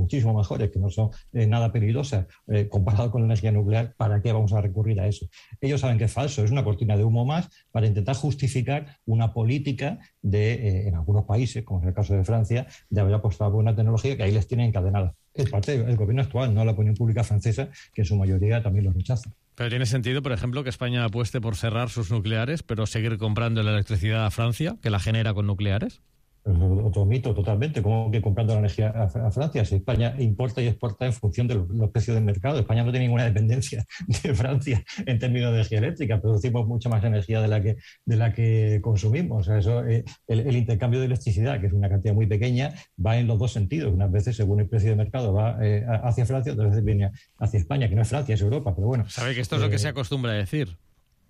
muchísimo mejores, que no son nada peligrosas, comparado con la energía nuclear, ¿para qué vamos a recurrir a eso? Ellos saben que es falso, es una cortina de humo más para intentar justificar una política en algunos países, como es el caso de Francia, de haber apostado por una tecnología que ahí les tiene encadenada. Es parte del gobierno actual, no la opinión pública francesa, que en su mayoría también lo rechaza. Pero tiene sentido, por ejemplo, que España apueste por cerrar sus nucleares, pero seguir comprando la electricidad a Francia, que la genera con nucleares. Otro mito totalmente, como que comprando la energía a Francia. Si España importa y exporta en función de los precios del mercado, España no tiene ninguna dependencia de Francia en términos de energía eléctrica, producimos mucha más energía de la que consumimos. O sea, eso, el intercambio de electricidad, que es una cantidad muy pequeña, va en los dos sentidos. Unas veces, según el precio de mercado, va hacia Francia, otras veces viene hacia España, que no es Francia, es Europa, pero bueno. Sabe que esto es lo que se acostumbra a decir.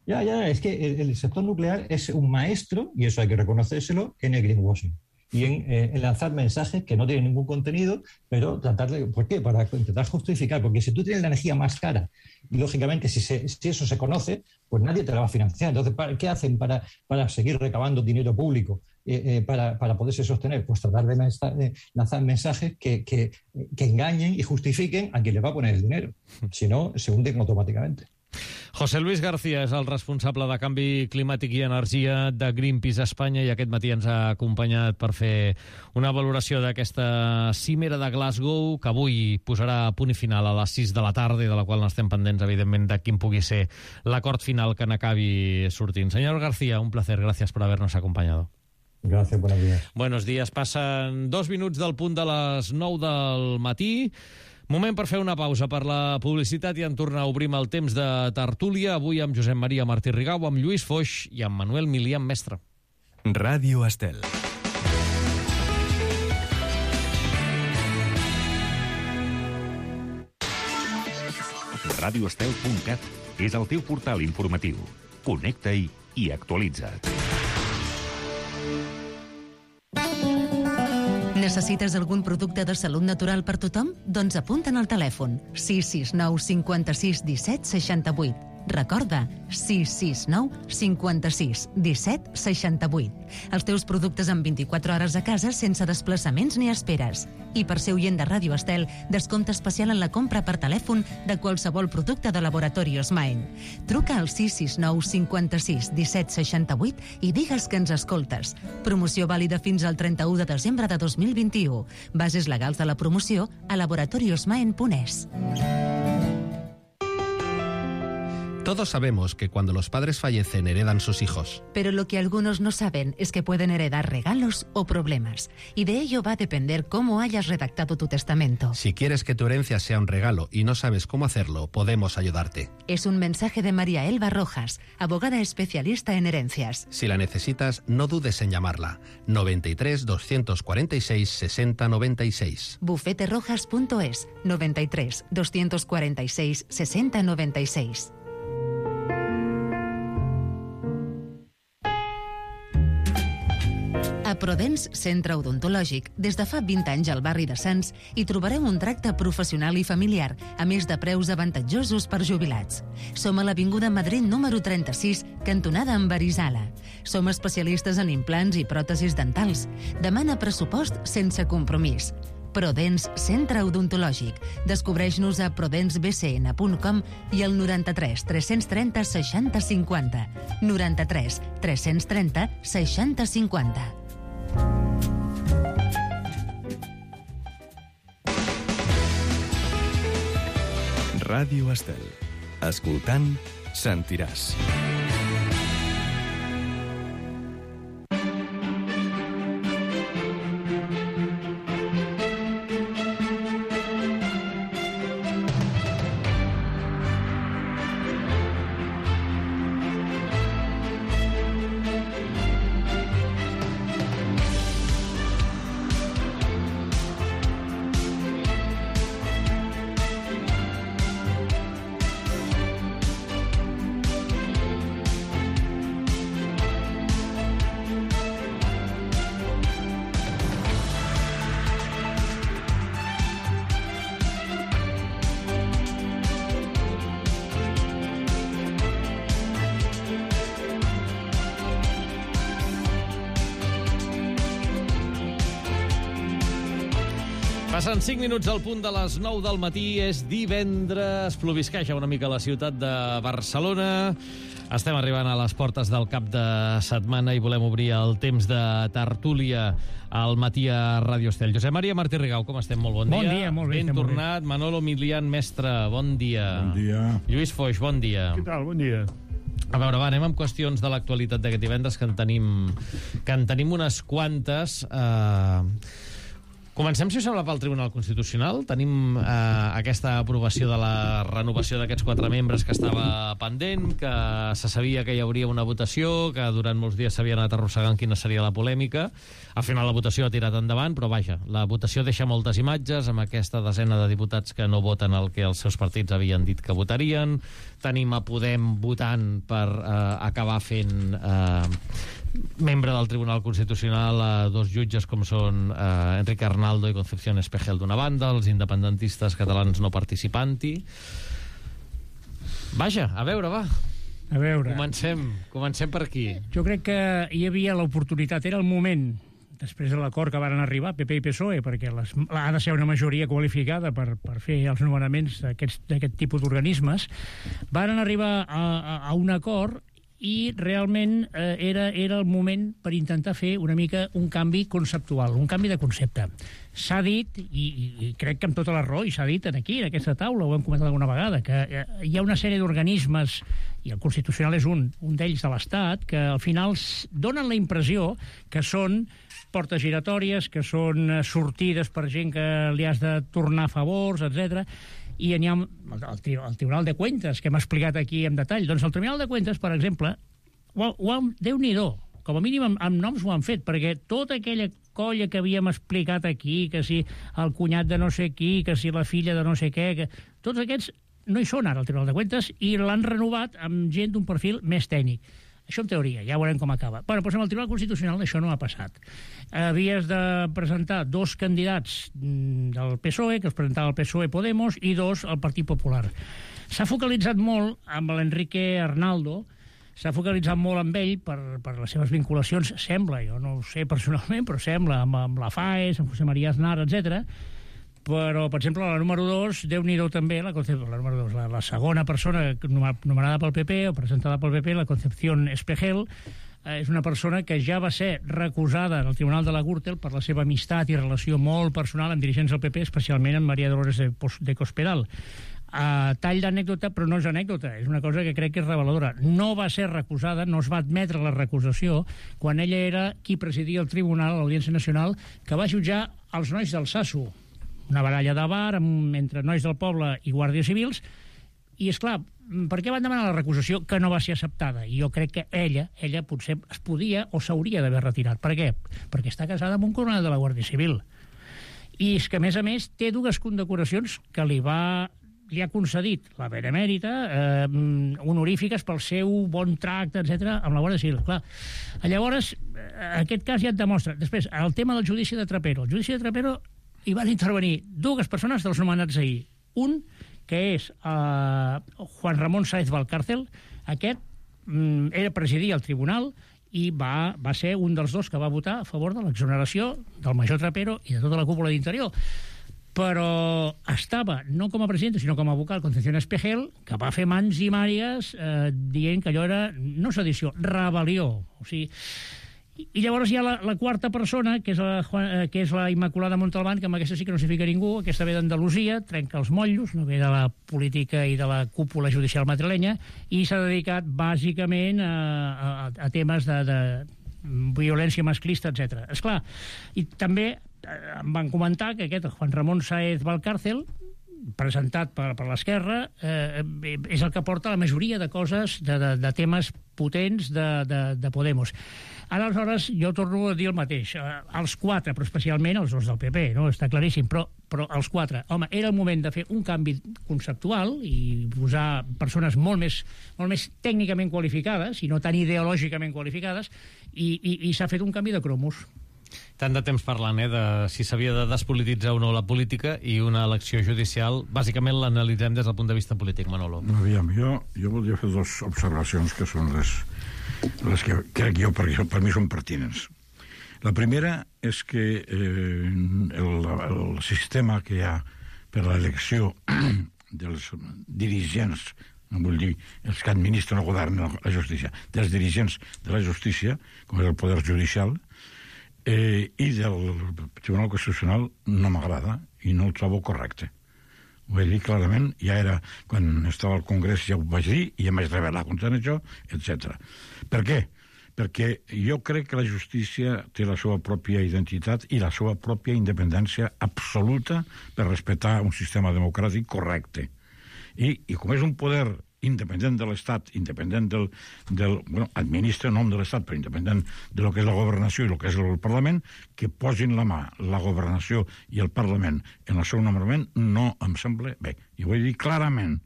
Es que el sector nuclear es un maestro, y eso hay que reconocérselo, en el greenwashing. Y en lanzar mensajes que no tienen ningún contenido, pero tratar de... ¿Por qué? Para intentar justificar. Porque si tú tienes la energía más cara, y lógicamente si eso se conoce, pues nadie te la va a financiar. Entonces, ¿qué hacen para seguir recabando dinero público para poderse sostener? Pues tratar de lanzar mensajes que engañen y justifiquen a quien les va a poner el dinero. Si no, se hunden automáticamente. José Luis García és el responsable de Canvi Climàtic i Energia de Greenpeace Espanya i aquest matí ens ha acompanyat per fer una valoració d'aquesta cimera de Glasgow que avui posarà punt i final a les 6 de la tarda i de la qual n'estem pendents, evidentment, de quin pugui ser l'acord final que n'acabi sortint. Señor García, un placer. Gracias por habernos acompañado. Gracias, buenos días. Buenos días. Passen 2 minuts del punt de les 9 del matí. Moment per fer una pausa per la publicitat i en tornar a obrir el temps de tertúlia, avui amb Josep Maria Martí Rigau, amb Lluís Foix i amb Manuel Milian Mestre. Ràdio Estel. radioestel.cat és el teu portal informatiu. Connecta-hi i actualitza't. Necessites algun producte de salut natural per tothom? Doncs apunta'n al telèfon 669 56 17 68. Recorda, 669 56 17 68. Els teus productes en 24 hores a casa sense desplaçaments ni esperes. I per ser oient de Ràdio Estel, descompte especial en la compra per telèfon de qualsevol producte de Laboratorios Maen. Truca al 669 56 17 68 i digues que ens escoltes. Promoció vàlida fins al 31 de desembre de 2021. Bases legals de la promoció a laboratoriosmaen.es. Todos sabemos que cuando los padres fallecen heredan sus hijos. Pero lo que algunos no saben es que pueden heredar regalos o problemas. Y de ello va a depender cómo hayas redactado tu testamento. Si quieres que tu herencia sea un regalo y no sabes cómo hacerlo, podemos ayudarte. Es un mensaje de María Elba Rojas, abogada especialista en herencias. Si la necesitas, no dudes en llamarla. 93 246 60 96. bufeterojas.es 93 246 60 96. A Prodens Centre Odontològic, des de fa 20 anys al barri de Sants, hi trobareu un tracte professional i familiar, a més de preus avantatjosos per jubilats. Som a l'Avinguda Madrid número 36, cantonada amb Arizala. Som especialistes en implants i pròtesis dentals. Demana pressupost sense compromís. Prodens Centre Odontològic. Descobreix-nos a prodensbcn.com i al 93 330 60 50. 93 330 60 50. Ràdio Estel. Escoltant, sentiràs. Passen 5 minuts al punt de les 9 del matí, és divendres, plovisqueja una mica la ciutat de Barcelona. Estem arribant a les portes del cap de setmana i volem obrir el temps de tertúlia al matí a Ràdio Estel. Josep Maria Martí Rigau, com estem? Molt bon dia. Bon dia, molt bé. Ben tornat. Manolo Milian, mestre, bon dia. Bon dia. Lluís Foix, bon dia. Què tal? Bon dia. A veure, va, anem amb qüestions de l'actualitat d'aquest divendres, que en tenim unes quantes. Comencem, si us sembla, pel Tribunal Constitucional. Tenim aquesta aprovació de la renovació d'aquests 4 membres que estava pendent, que se sabia que hi hauria una votació, que durant molts dies s'havia anat arrossegant quina seria la polèmica. Al final la votació ha tirat endavant, però vaja, la votació deixa moltes imatges amb aquesta desena de diputats que no voten el que els seus partits havien dit que votarien. Tenim a Podem votant per acabar fent membre del Tribunal Constitucional a 2 jutges com són Enrique Arnaldo i Concepción Espejel d'una banda, els independentistes catalans no participanti. Vaja, a veure, va. A veure. Comencem per aquí. Jo crec que hi havia l'oportunitat, era el moment, després de l'acord que varen arribar PP i PSOE, perquè ha de ser una majoria qualificada per fer els nomenaments d'aquest tipus d'organismes, varen arribar a un acord i realment era el moment per intentar fer una mica un canvi conceptual, un canvi de concepte. S'ha dit, i crec que amb tota la raó, i s'ha dit aquí, en aquesta taula, ho hem comentat alguna vegada, que hi ha una sèrie d'organismes, i el Constitucional és un d'ells de l'Estat, que al final donen la impressió que són portes giratòries, que són sortides per gent que li has de tornar favors, etc. I n'hi ha el Tribunal de Cuentas, que hem explicat aquí en detall. Doncs el Tribunal de Cuentas, per exemple, Déu-n'hi-do, com a mínim amb noms ho han fet, perquè tota aquella colla que havíem explicat aquí, que si el cunyat de no sé qui, que si la filla de no sé què, que tots aquests no hi són ara al Tribunal de Cuentas i l'han renovat amb gent d'un perfil més tècnic. Això en teoria, ja veurem com acaba. Però amb el Tribunal Constitucional això no ha passat. Havies de presentar 2 candidats del PSOE, que els presentava el PSOE Podemos, i 2 al Partit Popular. S'ha focalitzat molt amb l'Enrique Arnaldo, s'ha focalitzat molt amb ell per les seves vinculacions, sembla, jo no ho sé personalment, però sembla, amb la FAES, amb José María Aznar, etc. Però, per exemple, la número 2, Déu-n'hi-do també, la número 2, la segona persona nomenada pel PP o presentada pel PP, la Concepción Espejel, és una persona que ja va ser recusada en el Tribunal de la Gürtel per la seva amistat i relació molt personal amb dirigents del PP, especialment amb María Dolores de Cospedal. Tall d'anècdota, però no és anècdota, és una cosa que crec que és reveladora. No va ser recusada, no es va admetre la recusació quan ella era qui presidia el tribunal, l'Audiència Nacional, que va jutjar els nois del Sasso, una baralla de bar entre nois del poble i guàrdies civils, i, esclar, per què van demanar la recusació que no va ser acceptada? I jo crec que ella potser es podia o s'hauria d'haver retirat. Per què? Perquè està casada amb un coronel de la Guàrdia Civil. I és que, a més, té 2 condecoracions que li ha concedit la Benemèrita, honorífiques pel seu bon tracte, etc., amb la Guàrdia Civil. Clar, llavors, aquest cas ja et demostra. Després, el tema del judici de Trapero. El judici de Trapero hi van intervenir 2 persones dels nomenats ahir. Un, que és Juan Ramón Sáez Valcárcel. Aquest presidia el tribunal i va ser un dels 2 que va votar a favor de l'exoneració del major Trapero i de tota la cúpula d'Interior. Però estava, no com a president, sinó com a vocal, Concepción Espejel, que va fer mans i màries dient que allò era, no sedició, rebel·lió. O sigui, i llavors hi ha la 4ª persona, que és la Immaculada Montalbán, que amb aquesta sí que no s'hi fica ningú, aquesta ve d'Andalusia, trenca els motllos, no ve de la política i de la cúpula judicial madrilenya, i s'ha dedicat bàsicament a temes de violència masclista, etc. Esclar, i també em van comentar que aquest Juan Ramón Sáez Valcárcel, presentat per l'esquerra, és el que porta la majoria de coses, de temes potents de Podemos. Aleshores, jo torno a dir el mateix. Els 4, però especialment els 2 del PP, no? Està claríssim, però els 4. Home, era el moment de fer un canvi conceptual i posar persones molt més tècnicament qualificades, i no tan ideològicament qualificades, i s'ha fet un canvi de cromos. Tant de temps parlant, de si s'havia de despolititzar o no la política, i una elecció judicial, bàsicament l'analitzem des del punt de vista polític, Manolo. Aviam, jo voldria fer 2 observacions que són les que crec jo, perquè per mi són pertinents. La primera és que el sistema que hi ha per a l'elecció dels dirigents, no vull dir els que administren el govern, la justícia, dels dirigents de la justícia, com és el poder judicial, i del Tribunal Constitucional no m'agrada i no el trobo correcte. Ho he dit clarament, ja era quan estava al Congrés, ja ho vaig dir, i em vaig rebel·lar contra això, etc. Per què? Perquè jo crec que la justícia té la seva pròpia identitat i la seva pròpia independència absoluta per respectar un sistema democràtic correcte. I com és un poder independent de l'Estat, independent administra en nom de l'Estat, però independent de lo que és la governació i lo que és el Parlament, que posin la mà la governació i el Parlament en el seu nomenament no em sembla bé. I ho he dit clarament.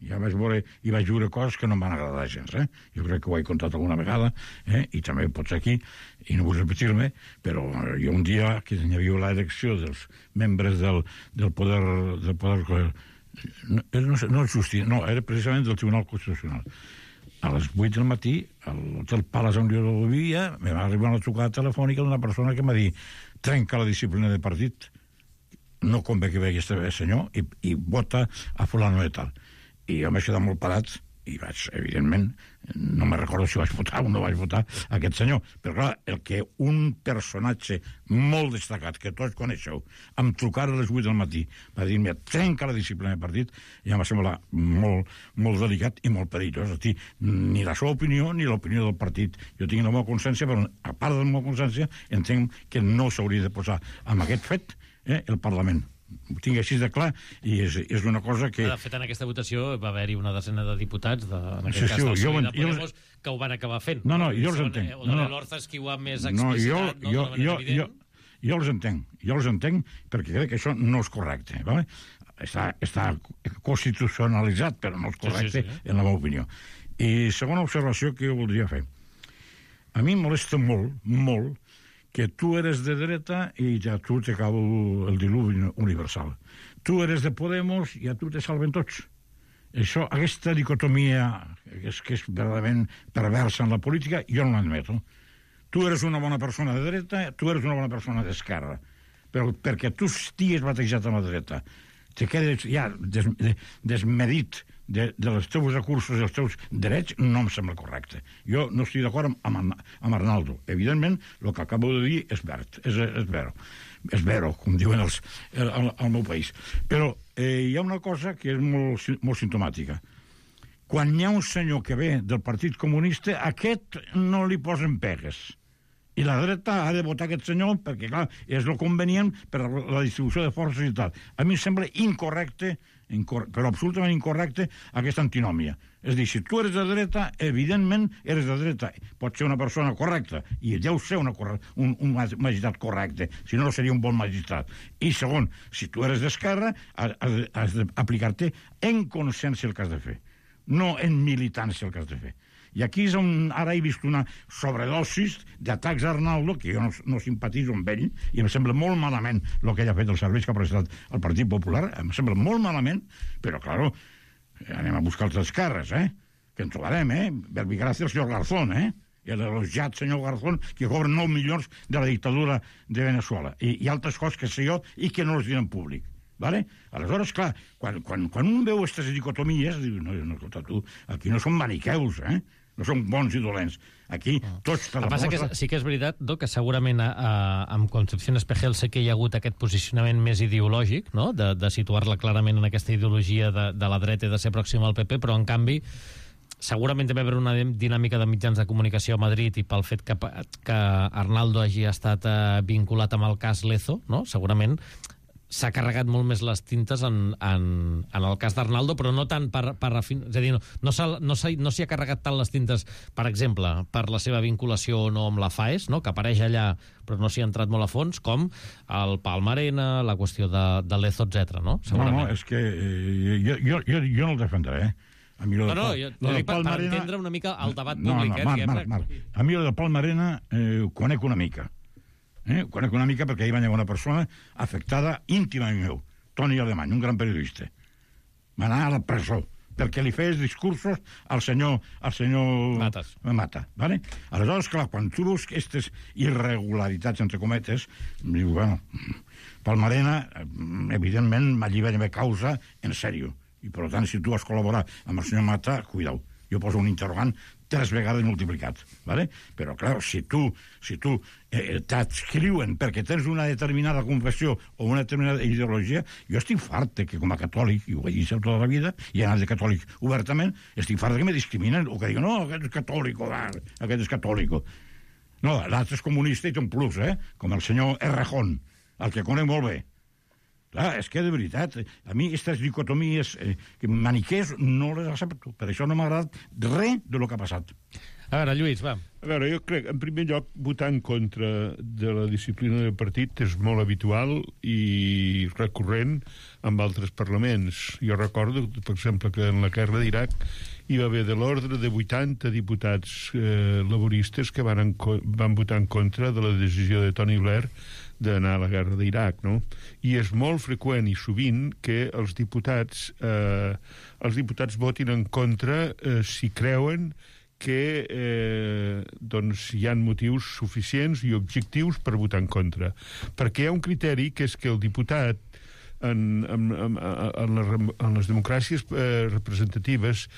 Ja vaig veure i vaig veure coses que no em van agradar gens. Jo crec que ho he contat alguna vegada, i també pots aquí, i no vull repetir-me, però jo un dia que hi havia l'elecció dels membres del poder no justícia, no, era precisament del Tribunal Constitucional. A les 8 del matí, a l'Hotel Palace on jo vivia, me va arribar una trucada telefònica d'una persona que m'ha dit: trenca la disciplina de partit, no convé que vegi este senyor, i vota a fulano de tal. I jo m'he quedat molt parat i vaig, evidentment, no me recordo si vaig votar o no vaig votar aquest senyor, però clar, el que un personatge molt destacat, que tots coneixeu, em trucara a les 8 del matí, va dir-me: trenca la disciplina de partit, i em va semblar molt, molt delicat i molt perillós. Ni la seva opinió ni l'opinió del partit. Jo tinc la meva consciència, però a part de la meva consciència entenc que no s'hauria de posar amb aquest fet el Parlament. Ho tinc així de clar, i és una cosa que... De fet, en aquesta votació va haver-hi una desena de diputats, en aquest cas del PSOE de Podemos, que ho van acabar fent. No, jo els entenc. O de l'Hortas, que ho ha més explicitat, d'una manera evident. Jo els entenc, perquè crec que això no és correcte. Vale? Està constitucionalitzat, però no és correcte, en la meva opinió. I segona observació que jo voldria fer. A mi em molesta molt, molt, que tu eres de dreta i ja tu te cau el diluvi universal. Tu eres de Podemos i a tu te salven tots. Això, aquesta dicotomia que és verdaderament perversa en la política, jo no l'admeto. Tu eres una bona persona de dreta, tu eres una bona persona d'esquerra. Però perquè tu estigues batejat a la dreta, te quedes ja desmedit dels teus recursos i els teus drets, no em sembla correcte. Jo no estic d'acord amb Arnaldo. Evidentment, el que acabo de dir és vero, com diuen al meu país. Però hi ha una cosa que és molt simptomàtica. Quan hi ha un senyor que ve del Partit Comunista, a aquest no li posen pegues. I la dreta ha de votar aquest senyor perquè, clar, és el convenient per la distribució de forces i tal. A mi em sembla incorrecte, però absolutament incorrecte, aquesta antinòmia. És a dir, si tu eres de dreta, evidentment eres de dreta. Pot ser una persona correcta, i deu ser un magistrat correcte, si no seria un bon magistrat. I segon, si tu eres d'esquerra, has d'aplicar-te en consciència el que has de fer, no en militància el que has de fer. I aquí és on ara he vist una sobredosis d'atacs a Arnaldo, que jo no simpatitzo amb ell, i em sembla molt malament el que ell ha fet, els serveis que ha prestat al Partit Popular, em sembla molt malament, però, claro, anem a buscar els esquerres, que en trobarem, Verbigracia el senyor Garzón, el elogiat senyor Garzón, que cobra 9 milions de la dictadura de Venezuela, i altres coses que sé jo i que no els diuen en públic. Vale? Aleshores, clar, quan un veu aquestes dicotomies, diu, no, escolta, tu, aquí no són maniqueus, no són bons i dolents. Aquí tots te la posa. Que sí que és veritat, que segurament amb Concepción Espejel sé que hi ha hagut aquest posicionament més ideològic, no? de situar-la clarament en aquesta ideologia de la dreta i de ser pròxima al PP, però en canvi segurament també hi haurà una dinàmica de mitjans de comunicació a Madrid i pel fet que Arnaldo hagi estat vinculat amb el cas Lezo, no? Segurament s'ha carregat molt més les tintes en el cas d'Arnaldo, però no tant per és a dir, no s'hi ha carregat tant les tintes, per exemple, per la seva vinculació o no amb la FAES, no? Que apareix allà, però no s'hi ha entrat molt a fons, com el Palmarena, la qüestió de Lezo, etc. No? No, és que jo no el defendré, jo dic per entendre una mica el debat públic. Marc, a mi el del Palmarena ho conec una mica. Conec una mica perquè hi va haver una persona afectada íntimament meu, Toni Alemany, un gran periodista. Va anar a la presó perquè li feies discursos al senyor Mata. ¿Vale? Aleshores, clar, quan tu veus aquestes irregularitats, entre cometes, diu, bueno, Palmarena, evidentment, m'allibera causa en sèrio. I, per tant, si tu has col·laborat amb el senyor Mata, cuidao. Jo poso un interrogant 3 vegades multiplicat, ¿vale? Però, clar, si tu t'adscriuen perquè tens una determinada confessió o una determinada ideologia, jo estic fart que com a catòlic, i ho he dit tota la vida, i he anat de catòlic obertament, estic fart que me discriminen, o que diuen, no, aquest és catòlico. No, l'altre és comunista i té un plus, com el senyor Errejón, el que conec molt bé. Clar, és que de veritat, a mi aquestes dicotomies maniquers no les accepto. Per això no m'ha agradat res de lo que ha passat. A veure, Lluís, va. A veure, jo crec, en primer lloc, votar en contra de la disciplina del partit és molt habitual i recurrent amb altres parlaments. Jo recordo, per exemple, que en la guerra d'Iraq hi va haver de l'ordre de 80 diputats laboristes que van votar en contra de la decisió de Tony Blair d'anar a la guerra d'Iraq, no? I és molt freqüent i sovint que els diputats votin en contra si creuen que hi ha motius suficients i objectius per votar en contra. Perquè hi ha un criteri que és que el diputat en les democràcies representatives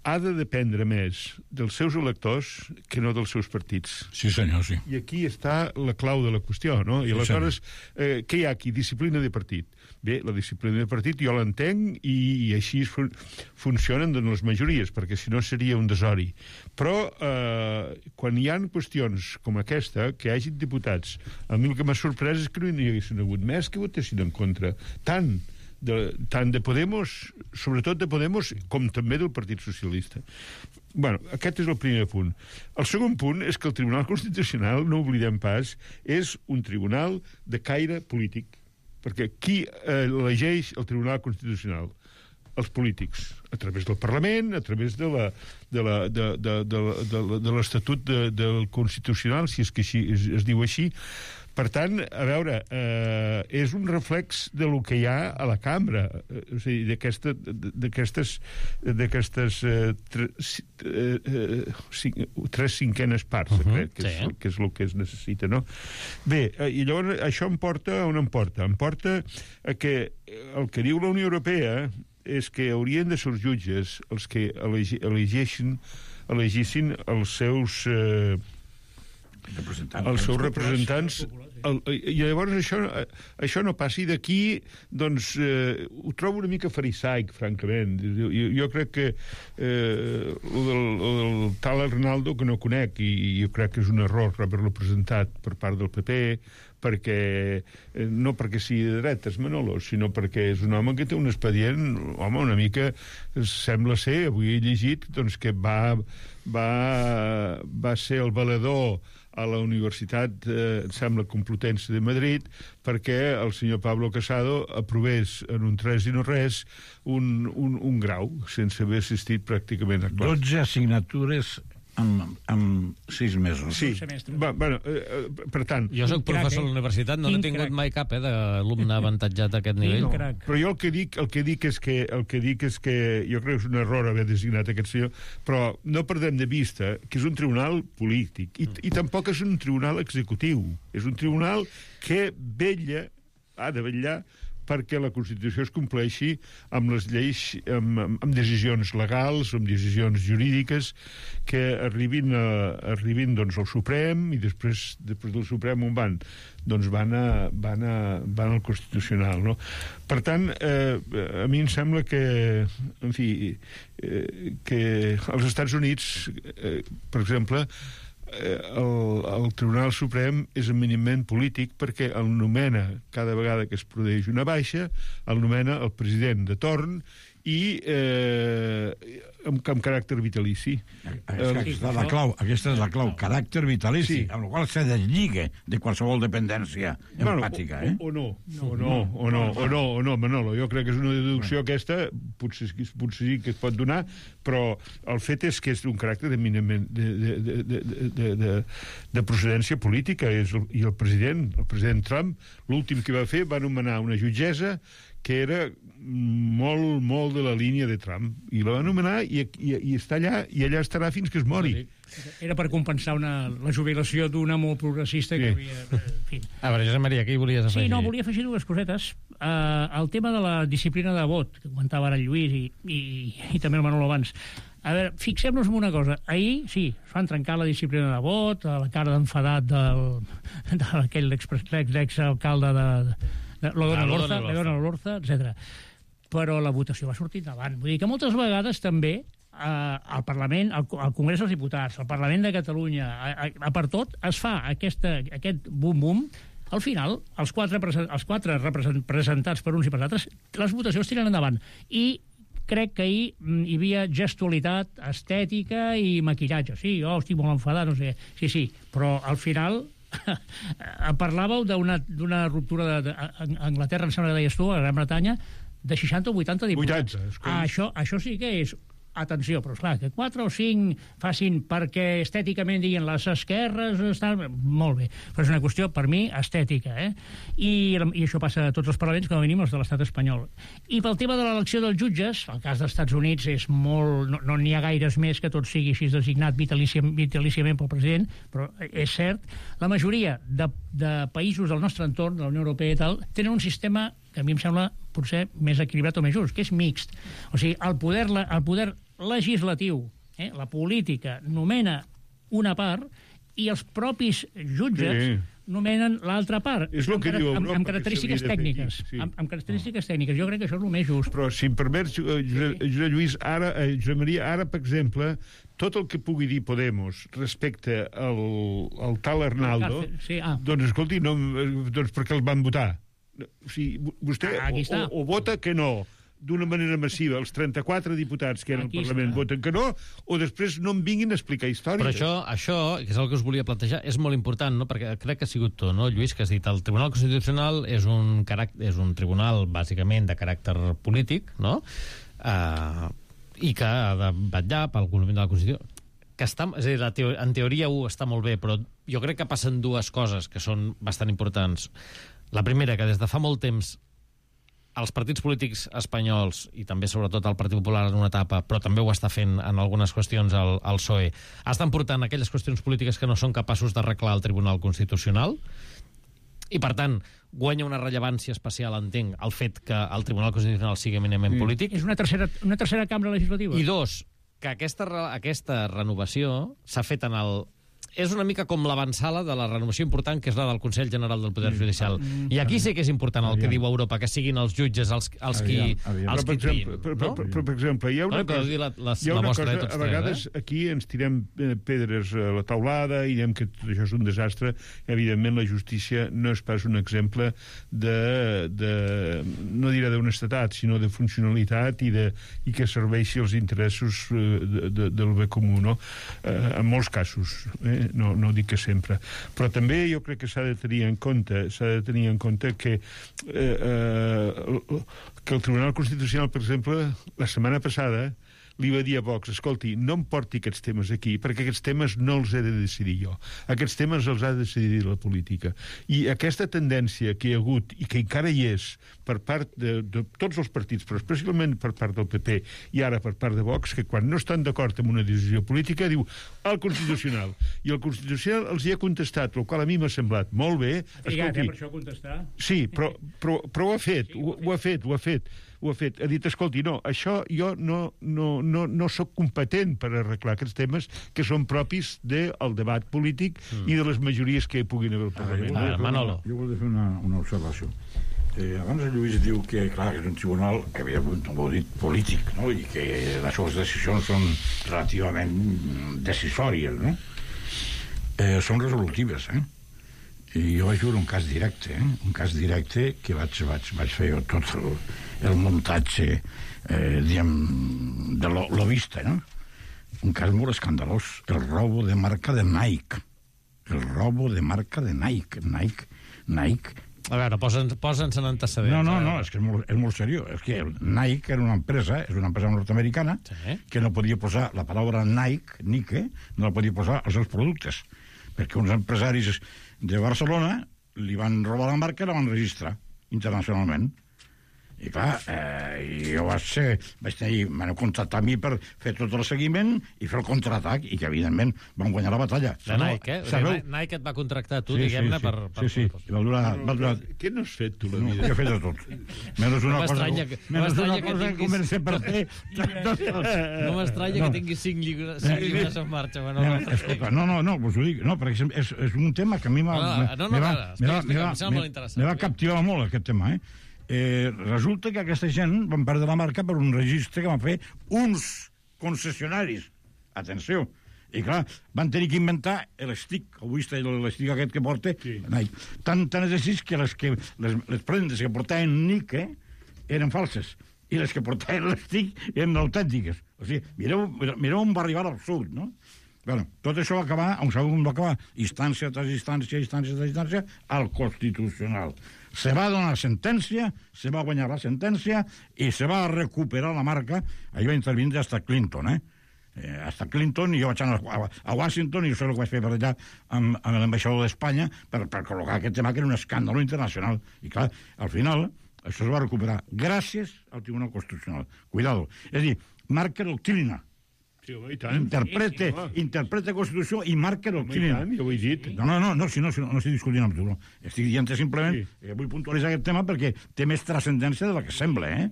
ha de dependre més dels seus electors que no dels seus partits. Sí, senyor, sí. I aquí està la clau de la qüestió, no? I aleshores, què hi ha aquí? Disciplina de partit. Bé, la disciplina de partit jo l'entenc i així funcionen les majories, perquè si no seria un desori. Però quan hi ha qüestions com aquesta, que hi hagi diputats, a mi el que m'ha sorprès és que no hi haguessin hagut més que votessin en contra. Tant de Podemos, sobretot de Podemos, com també del Partit Socialista. Bueno, aquest és el primer punt. El segon punt és que el Tribunal Constitucional, no oblidem pas, és un tribunal de caire polític. Perquè qui elegeix el Tribunal Constitucional? Els polítics, a través del Parlament, a través de l'Estatut del Constitucional, si és que es diu així. Per tant, a veure, és un reflex de lo que hi ha a la cambra, o sigui, d'aquestes 3/5 parts, crec, que és el que es necessita, no? Bé, i llavors això em porta on em porta? Em porta a que el que diu la Unió Europea és que haurien de ser els jutges els que elegissin els seus representants, i llavors això no passi d'aquí, doncs ho trobo una mica farisaic, francament. Jo crec que el del tal Arnaldo, que no conec, i jo crec que és un error haver-lo presentat per part del PP, no perquè sigui de dretes, Manolo, sinó perquè és un home que té un expedient, home, una mica sembla ser, avui he llegit, doncs que va ser el valedor a la Universitat, em sembla, Complutense de Madrid, perquè el senyor Pablo Casado aprovés en un 3 i no res un grau, sense haver assistit pràcticament a classe. 12 assignatures en 6 mesos. Sí, bueno, per tant... Jo soc professor a la universitat, no he tingut mai cap d'alumne avantatjat a aquest nivell. Però jo el que dic és que jo crec que és un error haver designat aquest senyor, però no perdem de vista que és un tribunal polític i tampoc és un tribunal executiu. És un tribunal que ha de vetllar perquè la Constitució es compleixi amb les lleis, amb decisions legals, amb decisions jurídiques que arribin doncs, al Suprem, i després del Suprem on van? Doncs van al Constitucional, no? Per tant, a mi em sembla que, en fi, que als Estats Units, per exemple, el Tribunal Suprem és eminentment polític perquè el nomena, cada vegada que es produeix una baixa, el nomena el president de torn i amb caràcter vitalici. Aquesta és la clau, caràcter vitalici, amb la qual se deslliga de qualsevol dependència empàtica. O no, Manolo, jo crec que és una deducció aquesta, potser sí que es pot donar, però el fet és que és un caràcter eminentment de procedència política, i el president Trump, l'últim que va fer, va nomenar una jutgessa que era molt, molt de la línia de Trump. I la va anomenar i està allà, i allà estarà fins que es mori. Era per compensar la jubilació d'una molt progressista que havia... En fi. A veure, Josep Maria, què hi volies afegir? Sí, no, volia afegir dues cosetes. El tema de la disciplina de vot, que comentava ara el Lluís i també el Manolo abans. A veure, fixem-nos en una cosa. Ahir, sí, es van trencar la disciplina de vot, a la cara d'enfadat d'aquell exalcalde de l'Odona Lorza, etc. Però la votació va sortir endavant. Vull dir que moltes vegades també al Parlament, al Congrés dels Diputats, al Parlament de Catalunya, per tot, es fa aquest bum-bum. Al final, els quatre presentats per uns i per altres, les votacions tiren endavant. I crec que ahir hi havia gestualitat, estètica i maquillatge. Sí, jo estic molt enfadat, no sé què. Sí, però al final parlàveu d'una ruptura d'Anglaterra, em sembla que deies tu, a Gran Bretanya, de 60 o 80 diputats. 80, això sí que és... Atenció, però esclar, que 4 o 5 facin perquè estèticament diguin les esquerres estan... Molt bé, però és una qüestió, per mi, estètica, I això passa a tots els parlaments, com a mínim els de l'estat espanyol. I pel tema de l'elecció dels jutges, el cas dels Estats Units és molt... No n'hi ha gaires més que tot sigui així designat vitalíciament pel president, però és cert, la majoria de països del nostre entorn, de la Unió Europea i tal, tenen un sistema que a mi em sembla potser més equilibrat o més just, que és mixt. O sigui, el poder legislatiu, la política, nomena una part i els propis jutges nomenen l'altra part. És el que diu Europa, amb característiques tècniques. Amb característiques tècniques. Jo crec que això és el més just. Però, si em permets, Josep Maria, ara, per exemple, tot el que pugui dir Podemos respecte al tal Arnaldo, doncs, escolti, doncs per què el van votar? O sigui, vostè o vota que no d'una manera massiva, els 34 diputats que eren al Parlament voten que no, o després no em vinguin a explicar històries. Però això, que és el que us volia plantejar, és molt important, no? Perquè crec que ha sigut tu, no, Lluís, que has dit el Tribunal Constitucional és un tribunal, bàsicament, de caràcter polític, no? I que ha de vetllar pel compliment de la Constitució. És a dir, en teoria està molt bé, però jo crec que passen dues coses que són bastant importants. La primera, que des de fa molt temps els partits polítics espanyols, i també sobretot el Partit Popular en una etapa, però també ho està fent en algunes qüestions el PSOE, estan portant aquelles qüestions polítiques que no són capaços d'arreglar al Tribunal Constitucional, i per tant guanya una rellevància especial, entenc, el fet que el Tribunal Constitucional sigui eminentment polític. És una tercera cambra legislativa. I dos, que aquesta renovació s'ha fet en el... És una mica com l'avançala de la renovació important, que és la del Consell General del Poder Judicial. I aquí sí que és important el que diu Europa, que siguin els jutges els qui triïn. Però, per exemple, hi ha una cosa, a vegades aquí ens tirem pedres a la taulada i diem que tot això és un desastre. Evidentment, la justícia no és pas un exemple no diré d'honestedat, sinó de funcionalitat i que serveixi els interessos del bé comú, no? En molts casos, no dic que sempre, però també jo crec que s'ha de tenir en compte que el Tribunal Constitucional, per exemple, la setmana passada li va dir a Vox, escolti, no em porti aquests temes aquí, perquè aquests temes no els he de decidir jo. Aquests temes els ha de decidir la política. I aquesta tendència que hi ha hagut, i que encara hi és, per part de tots els partits, però especialment per part del PP i ara per part de Vox, que quan no estan d'acord amb una decisió política diu el Constitucional. I el Constitucional els hi ha contestat, el qual a mi m'ha semblat molt bé. Per això contestar? Sí, però ho ha fet, ho ha fet. Ha dit, escolti, no, això jo no soc competent per arreglar aquests temes que són propis del debat polític i de les majories que puguin haver al Parlament. Manolo. Jo volia fer una observació. Abans el Lluís diu que, clar, és un tribunal que havia dit polític, no? I que les seves decisions són relativament decisòries, no? Són resolutives, I jo vaig veure un cas directe que vaig fer jo tot el muntatge de l'ovista, no? Un cas molt escandalós, el robo de marca de Nike. Nike. A veure, posa'ns en antecedents. No, és que és molt seriós. És que Nike era una empresa nord-americana que no podia posar la paraula Nike, no la podia posar als seus productes, perquè uns empresaris de Barcelona li van robar la marca i la van registrar internacionalment. I clar, jo m'han contractat a mi per fer tot el seguiment i fer el contraatac, i que evidentment van guanyar la batalla. La Nike, Nike et va contractar tu, diguem-ne, per... Sí. Va durar... Què n'has fet, tu, la vida? Jo he fet de tot. Menys una cosa que comencé per fer... No m'estranya que tinguis 5 llibres en marxa, Manolo. Escolta, no, us ho dic, perquè és un tema que a mi me va captivar molt, aquest tema, resulta que aquesta gent van perdre la marca per un registre que van fer uns concessionaris. Atenció. I clar, van tenir que inventar l'estic, avui està l'estic aquest que porta, tant és així que les prendes que portaven Nike eren falses, i les que portaven l'estic eren autèntiques. O sigui, mireu on va arribar l'absurd, no? Bueno, tot això va acabar, on sabeu com va acabar? Instància tras instància, al Constitucional. Se va donar sentència, se va guanyar la sentència i se va recuperar la marca. Ahí va intervindre hasta Clinton, hasta Clinton, i jo vaig anar a Washington i jo sé el que vaig fer per allà amb l'ambaixador d'Espanya per col·locar aquest tema que era un escàndol internacional. I clar, al final això es va recuperar gràcies al Tribunal Constitucional. Cuidado. És a dir, marca doctrina. Interpreta Constitució i marca doctrina. Jo ho he dit. No estic discutint amb tu. Estic dient simplement que vull puntualitzar aquest tema perquè té més transcendència de la que sembla,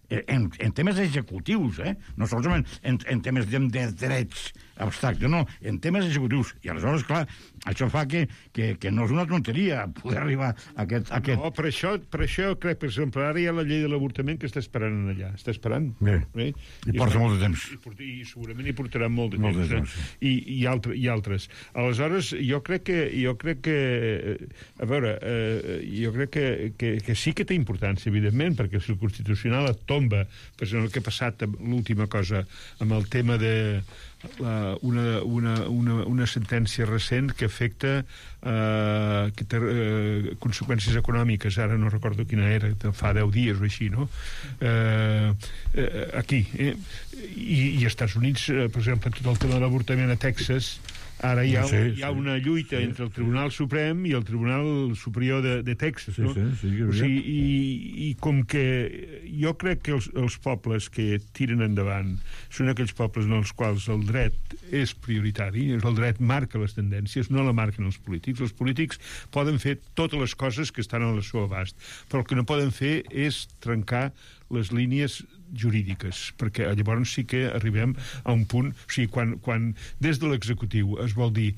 en temes executius, no solament en temes de drets abstractes, no, en temes executius. I aleshores, clar, això fa que no és una tonteria poder arribar a aquest... No, per això crec, per exemple, ara hi ha la llei de l'avortament que està esperant allà. Està esperant. Bé. I porta molt de temps. I segurament hi portarà molt de temps. I altres. Aleshores, jo crec que a veure, jo crec que sí que té importància, evidentment, perquè si el Constitucional et tomba, per exemple, el que ha passat amb l'última cosa, amb el tema de una sentència recent que afecta que té conseqüències econòmiques, ara no recordo quina era, fa 10 dies o així, no? Aquí. I als Estats Units, per exemple, tot el tema de l'avortament a Texas, ara hi ha una lluita entre el Tribunal Suprem i el Tribunal Superior de Texas, no? O sigui, i com que jo crec que els pobles que tiren endavant són aquells pobles en els quals el dret és prioritari, el dret marca les tendències, no la marquen els polítics. Els polítics poden fer totes les coses que estan al seu abast, però el que no poden fer és trencar les línies jurídiques, perquè llavors sí que arribem a un punt, o sigui, quan des de l'executiu es vol dir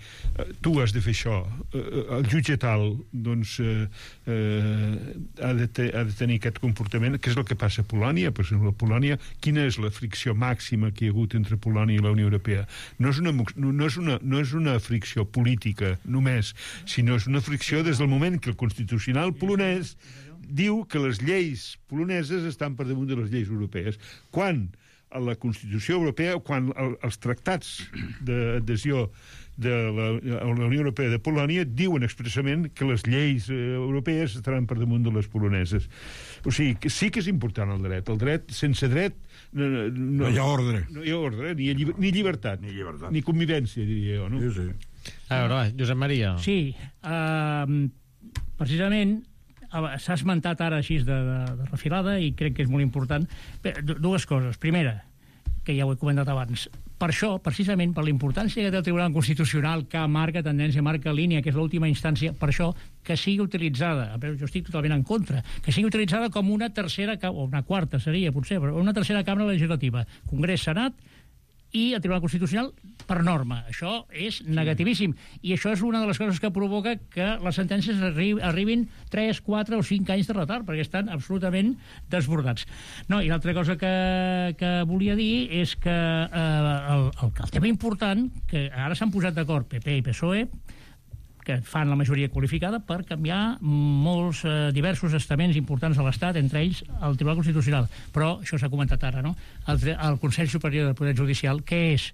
tu has de fer això, el jutge tal doncs ha de tenir aquest comportament, que és el que passa a Polònia. Per exemple, a Polònia, quina és la fricció màxima que hi ha hagut entre Polònia i la Unió Europea? No és una fricció política només, sinó és una fricció des del moment que el Constitucional polonès diu que les lleis poloneses estan per damunt de les lleis europees. Quan a la Constitució Europea, quan els tractats d'adhesió de la Unió Europea de Polònia diuen expressament que les lleis europees estaran per damunt de les poloneses. O sigui, que sí que és important el dret. El dret, sense dret... No hi ha ordre. No hi ha ordre, ni llibertat. Ni convivència, diria jo, no? Sí. A veure, Josep Maria. Sí, precisament s'ha esmentat ara així de refilada i crec que és molt important. Dues coses. Primera, que ja ho he comentat abans, per això, precisament per la importància que té el Tribunal Constitucional, que marca tendència, marca línia, que és l'última instància, per això que sigui utilitzada, jo estic totalment en contra, que sigui utilitzada com una tercera, o una quarta seria potser, però una tercera cambra legislativa, Congrés, Senat i el Tribunal Constitucional per norma. Això és negativíssim. I això és una de les coses que provoca que les sentències arribin 3, 4 o 5 anys de retard, perquè estan absolutament desbordats. No, i l'altra cosa que volia dir és que el tema important, que ara s'han posat d'acord PP i PSOE, que fan la majoria qualificada per canviar molts diversos estaments importants de l'Estat, entre ells el Tribunal Constitucional. Però això s'ha comentat ara, no? El Consell Superior del Poder Judicial, que és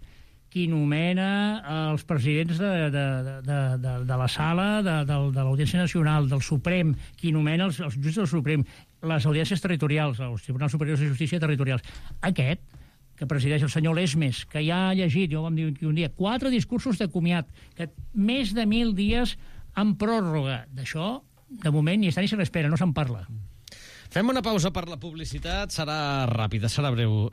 qui nomena els presidents de la sala de l'Audiència Nacional, del Suprem, qui nomena els jutges del Suprem, les audiències territorials, els Tribunals Superiors de Justícia territorials. Aquest, que presideix el senyor Lesmes, que ja ha llegit, jo vam dir un dia, 4 discursos de comiat, que més de 1.000 dies en pròrroga. D'això, de moment, ni està ni se l'espera, no se'n parla. Fem una pausa per la publicitat, serà ràpida, serà breu.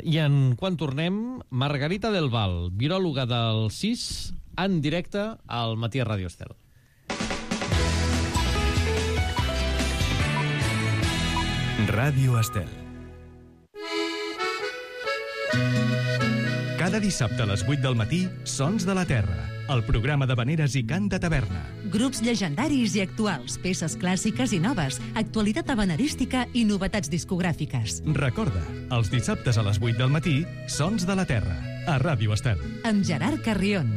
I quan tornem, Margarita del Val, viròloga del CIS, en directe al Matí a Ràdio Estel. Ràdio Estel. Cada dissabte a les 8 del matí, Sons de la Terra, el programa d'havaneres i cant de taverna. Grups llegendaris i actuals, peces clàssiques i noves, actualitat havanerística i novetats discogràfiques. Recorda, els dissabtes a les 8 del matí, Sons de la Terra, a Ràdio Estel. Amb Gerard Carrion.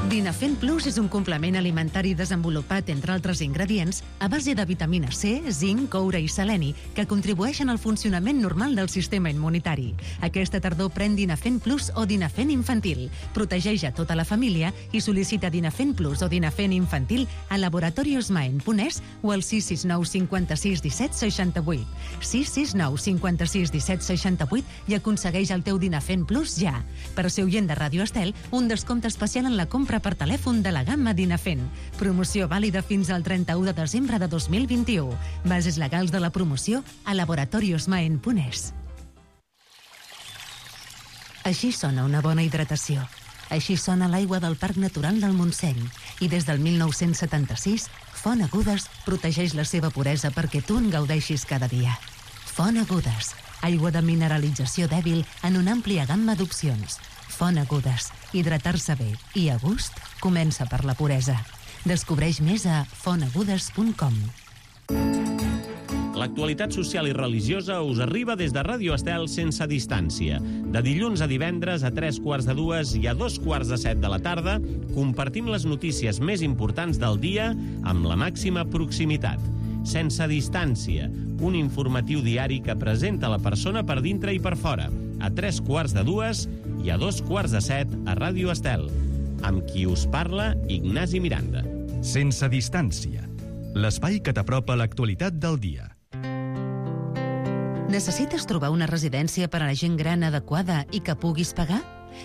Dinafen Plus és un complement alimentari desenvolupat, entre altres ingredients, a base de vitamina C, zinc, coure i seleni, que contribueixen al funcionament normal del sistema immunitari. Aquesta tardor pren Dinafen Plus o Dinafen Infantil. Protegeix a tota la família i sol·licita Dinafen Plus o Dinafen Infantil a laboratoriosmaen.es o al 669 56 17 68. 669 56 17 68 i aconsegueix el teu Dinafen Plus ja. Per ser oient de Ràdio Estel, un descompte especial en la compra per telèfon de la gamma Dinafen. Promoció vàlida fins al 31 de desembre de 2021. Bases legals de la promoció a laboratoriosmaen.es. Així sona una bona hidratació. Així sona l'aigua del Parc Natural del Montseny. I des del 1976, Font Agudes protegeix la seva puresa perquè tu en gaudeixis cada dia. Font Agudes, aigua de mineralització dèbil en una àmplia gamma d'opcions. Font Agudes. Hidratar-se bé i a gust comença per la puresa. Descobreix més a fontagudes.com. L'actualitat social i religiosa us arriba des de Ràdio Estel sense distància. De dilluns a divendres a 3:45 i a 2:45 de la tarda compartim les notícies més importants del dia amb la màxima proximitat. Sense distància, un informatiu diari que presenta la persona per dintre i per fora, a 3:45 i a 2:45 a Ràdio Estel. Amb qui us parla, Ignasi Miranda. Sense distància, l'espai que t'apropa l'actualitat del dia. Necessites trobar una residència per a la gent gran adequada i que puguis pagar?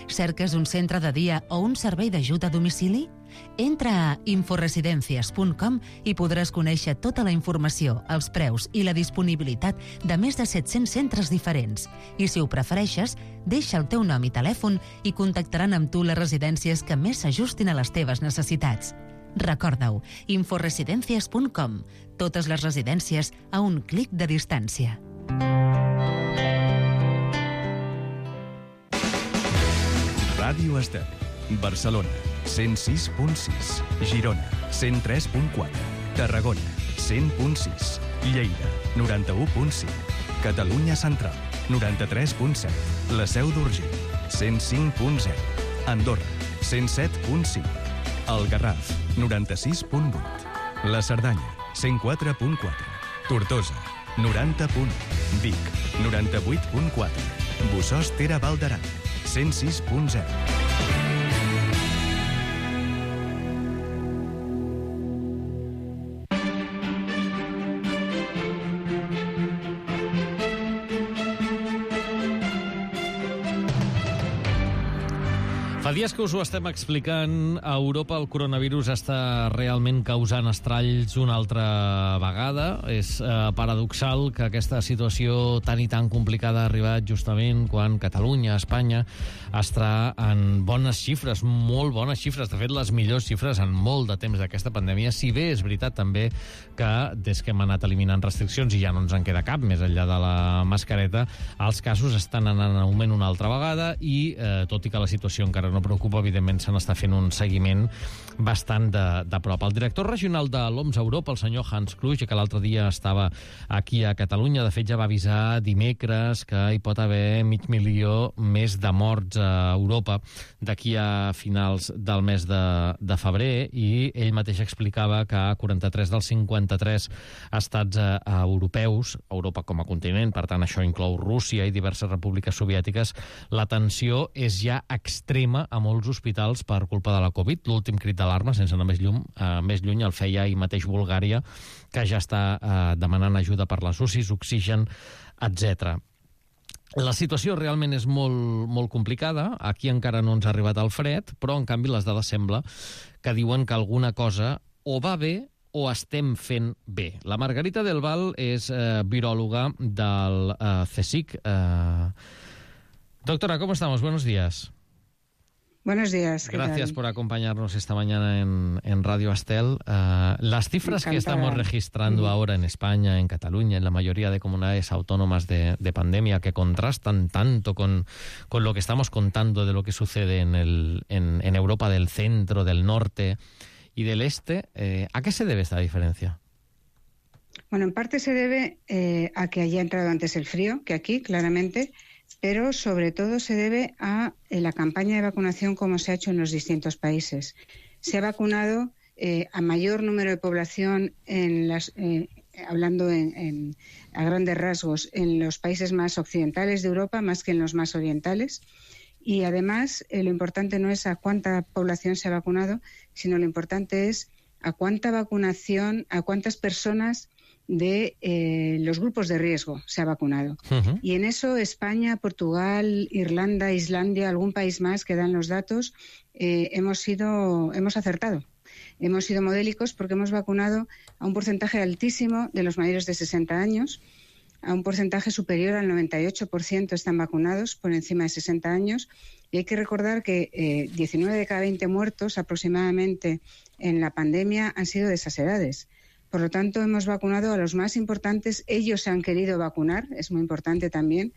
Cerques un centre de dia o un servei d'ajut a domicili? Entra a inforesidencias.com i podràs conèixer tota la informació, els preus i la disponibilitat de més de 700 centres diferents. I si ho prefereixes, deixa el teu nom i telèfon i contactaran amb tu les residències que més s'ajustin a les teves necessitats. Recorda-ho, inforesidencias.com. Totes les residències a un clic de distància. Ràdio Estel, Barcelona, 106.6, Girona, 103.4, Tarragona, 100.6, Lleida, 91.5, Catalunya Central, 93.7, la Seu d'Urgell, 105.0, Andorra, 107.5, el Garraf, 96.8, la Cerdanya, 104.4, Tortosa, 90.1, Vic, 98.4, Bossòst Tere Val d'Aran, 106.0. Fa dies que us ho estem explicant, a Europa el coronavirus està realment causant estralls una altra vegada. És paradoxal que aquesta situació tan i tan complicada ha arribat justament quan Catalunya, Espanya, està en bones xifres, molt bones xifres, de fet les millors xifres en molt de temps d'aquesta pandèmia, si bé és veritat també que des que hem anat eliminant restriccions i ja no ens en queda cap, més enllà de la mascareta, els casos estan anant en augment una altra vegada i, tot i que la situació encara no preocupa, evidentment se n'està fent un seguiment bastant de prop. El director regional de l'OMS a Europa, el senyor Hans Kluge, que l'altre dia estava aquí a Catalunya, de fet ja va avisar dimecres que hi pot haver 500.000 més de morts a Europa d'aquí a finals del mes de febrer, i ell mateix explicava que a 43 dels 53 estats europeus, Europa com a continent, per tant això inclou Rússia i diverses repúbliques soviètiques, la tensió és ja extrema a molts hospitals per culpa de la Covid. L'últim crit d'alarma, sense anar més lluny, el feia ahir mateix Bulgària, que ja està demanant ajuda per les UCIs, oxigen, etc. La situació realment és molt complicada. Aquí encara no ens ha arribat el fred, però, en canvi, les dades sembla que diuen que alguna cosa o va bé o estem fent bé. La Margarita del Val és viròloga del CSIC. Doctora, ¿cómo estamos? Buenos días. Buenos días. Gracias por acompañarnos esta mañana en Radio Astel. Las cifras que estamos registrando ahora en España, en Cataluña, en la mayoría de comunidades autónomas de pandemia, que contrastan tanto con lo que estamos contando de lo que sucede en Europa del centro, del norte y del este, ¿a qué se debe esta diferencia? Bueno, en parte se debe a que haya entrado antes el frío que aquí, claramente, pero sobre todo se debe a la campaña de vacunación como se ha hecho en los distintos países. Se ha vacunado a mayor número de población, hablando a grandes rasgos, en los países más occidentales de Europa, más que en los más orientales. Y además, lo importante no es a cuánta población se ha vacunado, sino lo importante es a cuánta vacunación, a cuántas personas de los grupos de riesgo se ha vacunado. Uh-huh. Y en eso España, Portugal, Irlanda, Islandia, algún país más que dan los datos, hemos acertado. Hemos sido modélicos porque hemos vacunado a un porcentaje altísimo de los mayores de 60 años, a un porcentaje superior al 98% están vacunados por encima de 60 años. Y hay que recordar que 19 de cada 20 muertos aproximadamente en la pandemia han sido de esas edades. Por lo tanto, hemos vacunado a los más importantes. Ellos se han querido vacunar, es muy importante también.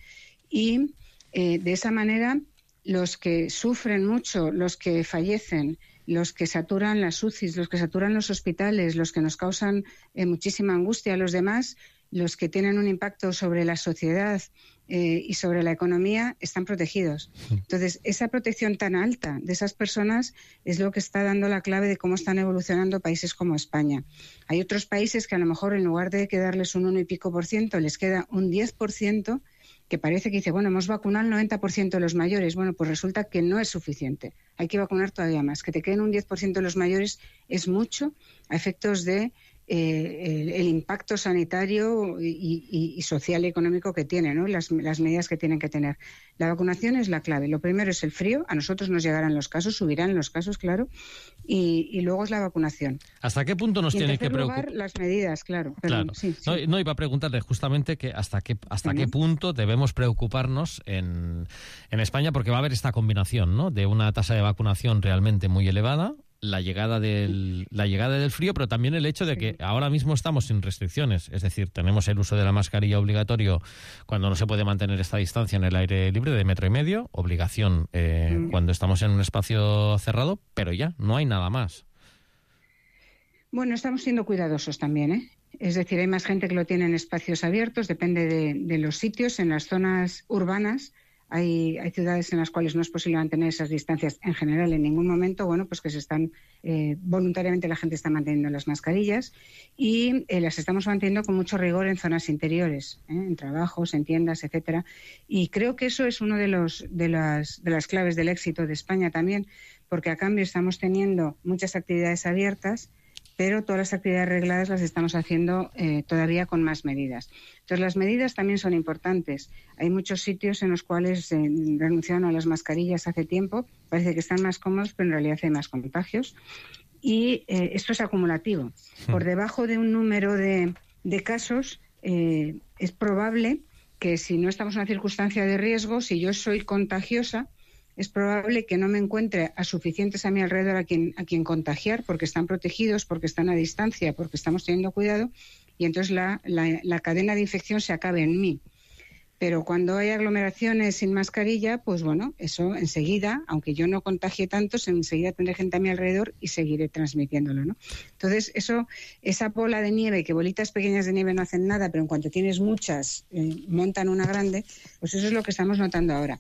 Y de esa manera, los que sufren mucho, los que fallecen, los que saturan las UCIs, los que saturan los hospitales, los que nos causan muchísima angustia a los demás, los que tienen un impacto sobre la sociedad y sobre la economía, están protegidos. Entonces, esa protección tan alta de esas personas es lo que está dando la clave de cómo están evolucionando países como España. Hay otros países que a lo mejor en lugar de quedarles un 1 y pico %, les queda un 10%, que parece que dice, bueno, hemos vacunado el 90% de los mayores. Bueno, pues resulta que no es suficiente. Hay que vacunar todavía más. Que te queden un 10% de los mayores es mucho a efectos de el impacto sanitario y social y económico que tiene, ¿no? Las medidas que tienen que tener. La vacunación es la clave. Lo primero es el frío. A nosotros nos llegarán los casos, subirán los casos, claro. Y luego es la vacunación. ¿Hasta qué punto nos tiene que preocupar? Las medidas, claro. Perdón, claro. Sí. No, iba a preguntarle justamente que hasta qué punto debemos preocuparnos en España, porque va a haber esta combinación, ¿no? De una tasa de vacunación realmente muy elevada, la llegada del frío, pero también el hecho de que ahora mismo estamos sin restricciones. Es decir, tenemos el uso de la mascarilla obligatorio cuando no se puede mantener esta distancia en el aire libre de 1,5 metros, obligación cuando estamos en un espacio cerrado, pero ya, no hay nada más. Bueno, estamos siendo cuidadosos también, ¿eh? Es decir, hay más gente que lo tiene en espacios abiertos, depende de los sitios. En las zonas urbanas hay ciudades en las cuales no es posible mantener esas distancias en general en ningún momento. Bueno, pues que se están voluntariamente la gente está manteniendo las mascarillas y las estamos manteniendo con mucho rigor en zonas interiores, en trabajos, en tiendas, etcétera. Y creo que eso es uno de las claves del éxito de España también, porque a cambio estamos teniendo muchas actividades abiertas, pero todas las actividades regladas las estamos haciendo todavía con más medidas. Entonces, las medidas también son importantes. Hay muchos sitios en los cuales renunciaron a las mascarillas hace tiempo, parece que están más cómodos, pero en realidad hay más contagios. Y esto es acumulativo. Por debajo de un número de casos, es probable que si no estamos en una circunstancia de riesgo, si yo soy contagiosa, es probable que no me encuentre a suficientes a mi alrededor a quien contagiar, porque están protegidos, porque están a distancia, porque estamos teniendo cuidado, y entonces la cadena de infección se acabe en mí. Pero cuando hay aglomeraciones sin mascarilla, pues bueno, eso enseguida, aunque yo no contagie tanto, enseguida tendré gente a mi alrededor y seguiré transmitiéndolo, ¿no? Entonces, esa bola de nieve, que bolitas pequeñas de nieve no hacen nada, pero en cuanto tienes muchas, montan una grande, pues eso es lo que estamos notando ahora.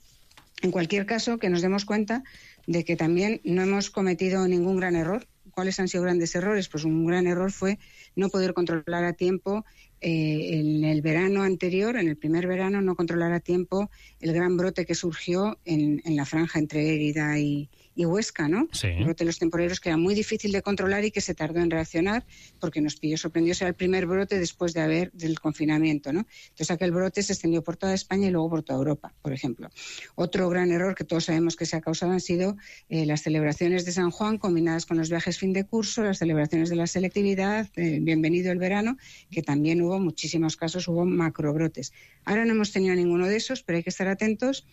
En cualquier caso, que nos demos cuenta de que también no hemos cometido ningún gran error. ¿Cuáles han sido grandes errores? Pues un gran error fue no poder controlar a tiempo en el verano anterior, en el primer verano, no controlar a tiempo el gran brote que surgió en la franja entre Lérida y y Huesca, ¿no? Sí. El brote de los temporeros, que era muy difícil de controlar y que se tardó en reaccionar porque nos pilló sorprendidos. Era el primer brote después del confinamiento, ¿no? Entonces aquel brote se extendió por toda España y luego por toda Europa, por ejemplo. Otro gran error que todos sabemos que se ha causado han sido las celebraciones de San Juan combinadas con los viajes fin de curso, las celebraciones de la selectividad, bienvenido el verano, que también hubo muchísimos casos, hubo macrobrotes. Ahora no hemos tenido ninguno de esos, pero hay que estar atentos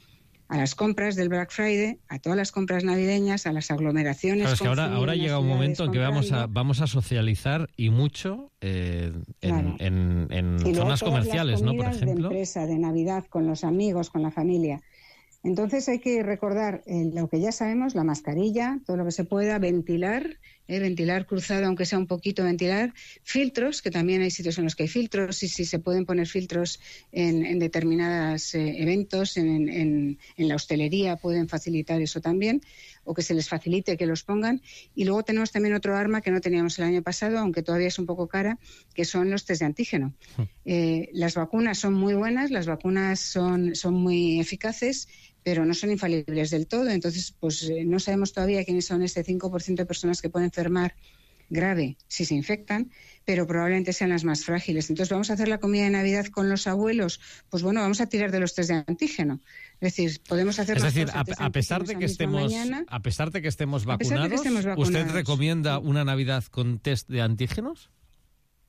a las compras del Black Friday, a todas las compras navideñas, a las aglomeraciones. Claro, es que ahora llega un momento en que vamos a socializar y mucho en zonas comerciales, ¿no? Por ejemplo. De empresa, de Navidad, con los amigos, con la familia. Entonces hay que recordar lo que ya sabemos, la mascarilla, todo lo que se pueda, ventilar cruzado, aunque sea un poquito, ventilar, filtros, que también hay sitios en los que hay filtros, y si se pueden poner filtros en determinados eventos, en la hostelería pueden facilitar eso también, o que se les facilite que los pongan. Y luego tenemos también otro arma que no teníamos el año pasado, aunque todavía es un poco cara, que son los test de antígeno. Las vacunas son muy buenas, las vacunas son muy eficaces, pero no son infalibles del todo. Entonces, pues no sabemos todavía quiénes son este 5% de personas que pueden enfermar grave si se infectan, pero probablemente sean las más frágiles. Entonces, ¿vamos a hacer la comida de Navidad con los abuelos? Pues bueno, vamos a tirar de los test de antígeno. Es decir, podemos hacer... Es decir, a pesar de que estemos vacunados, ¿usted recomienda una Navidad con test de antígenos?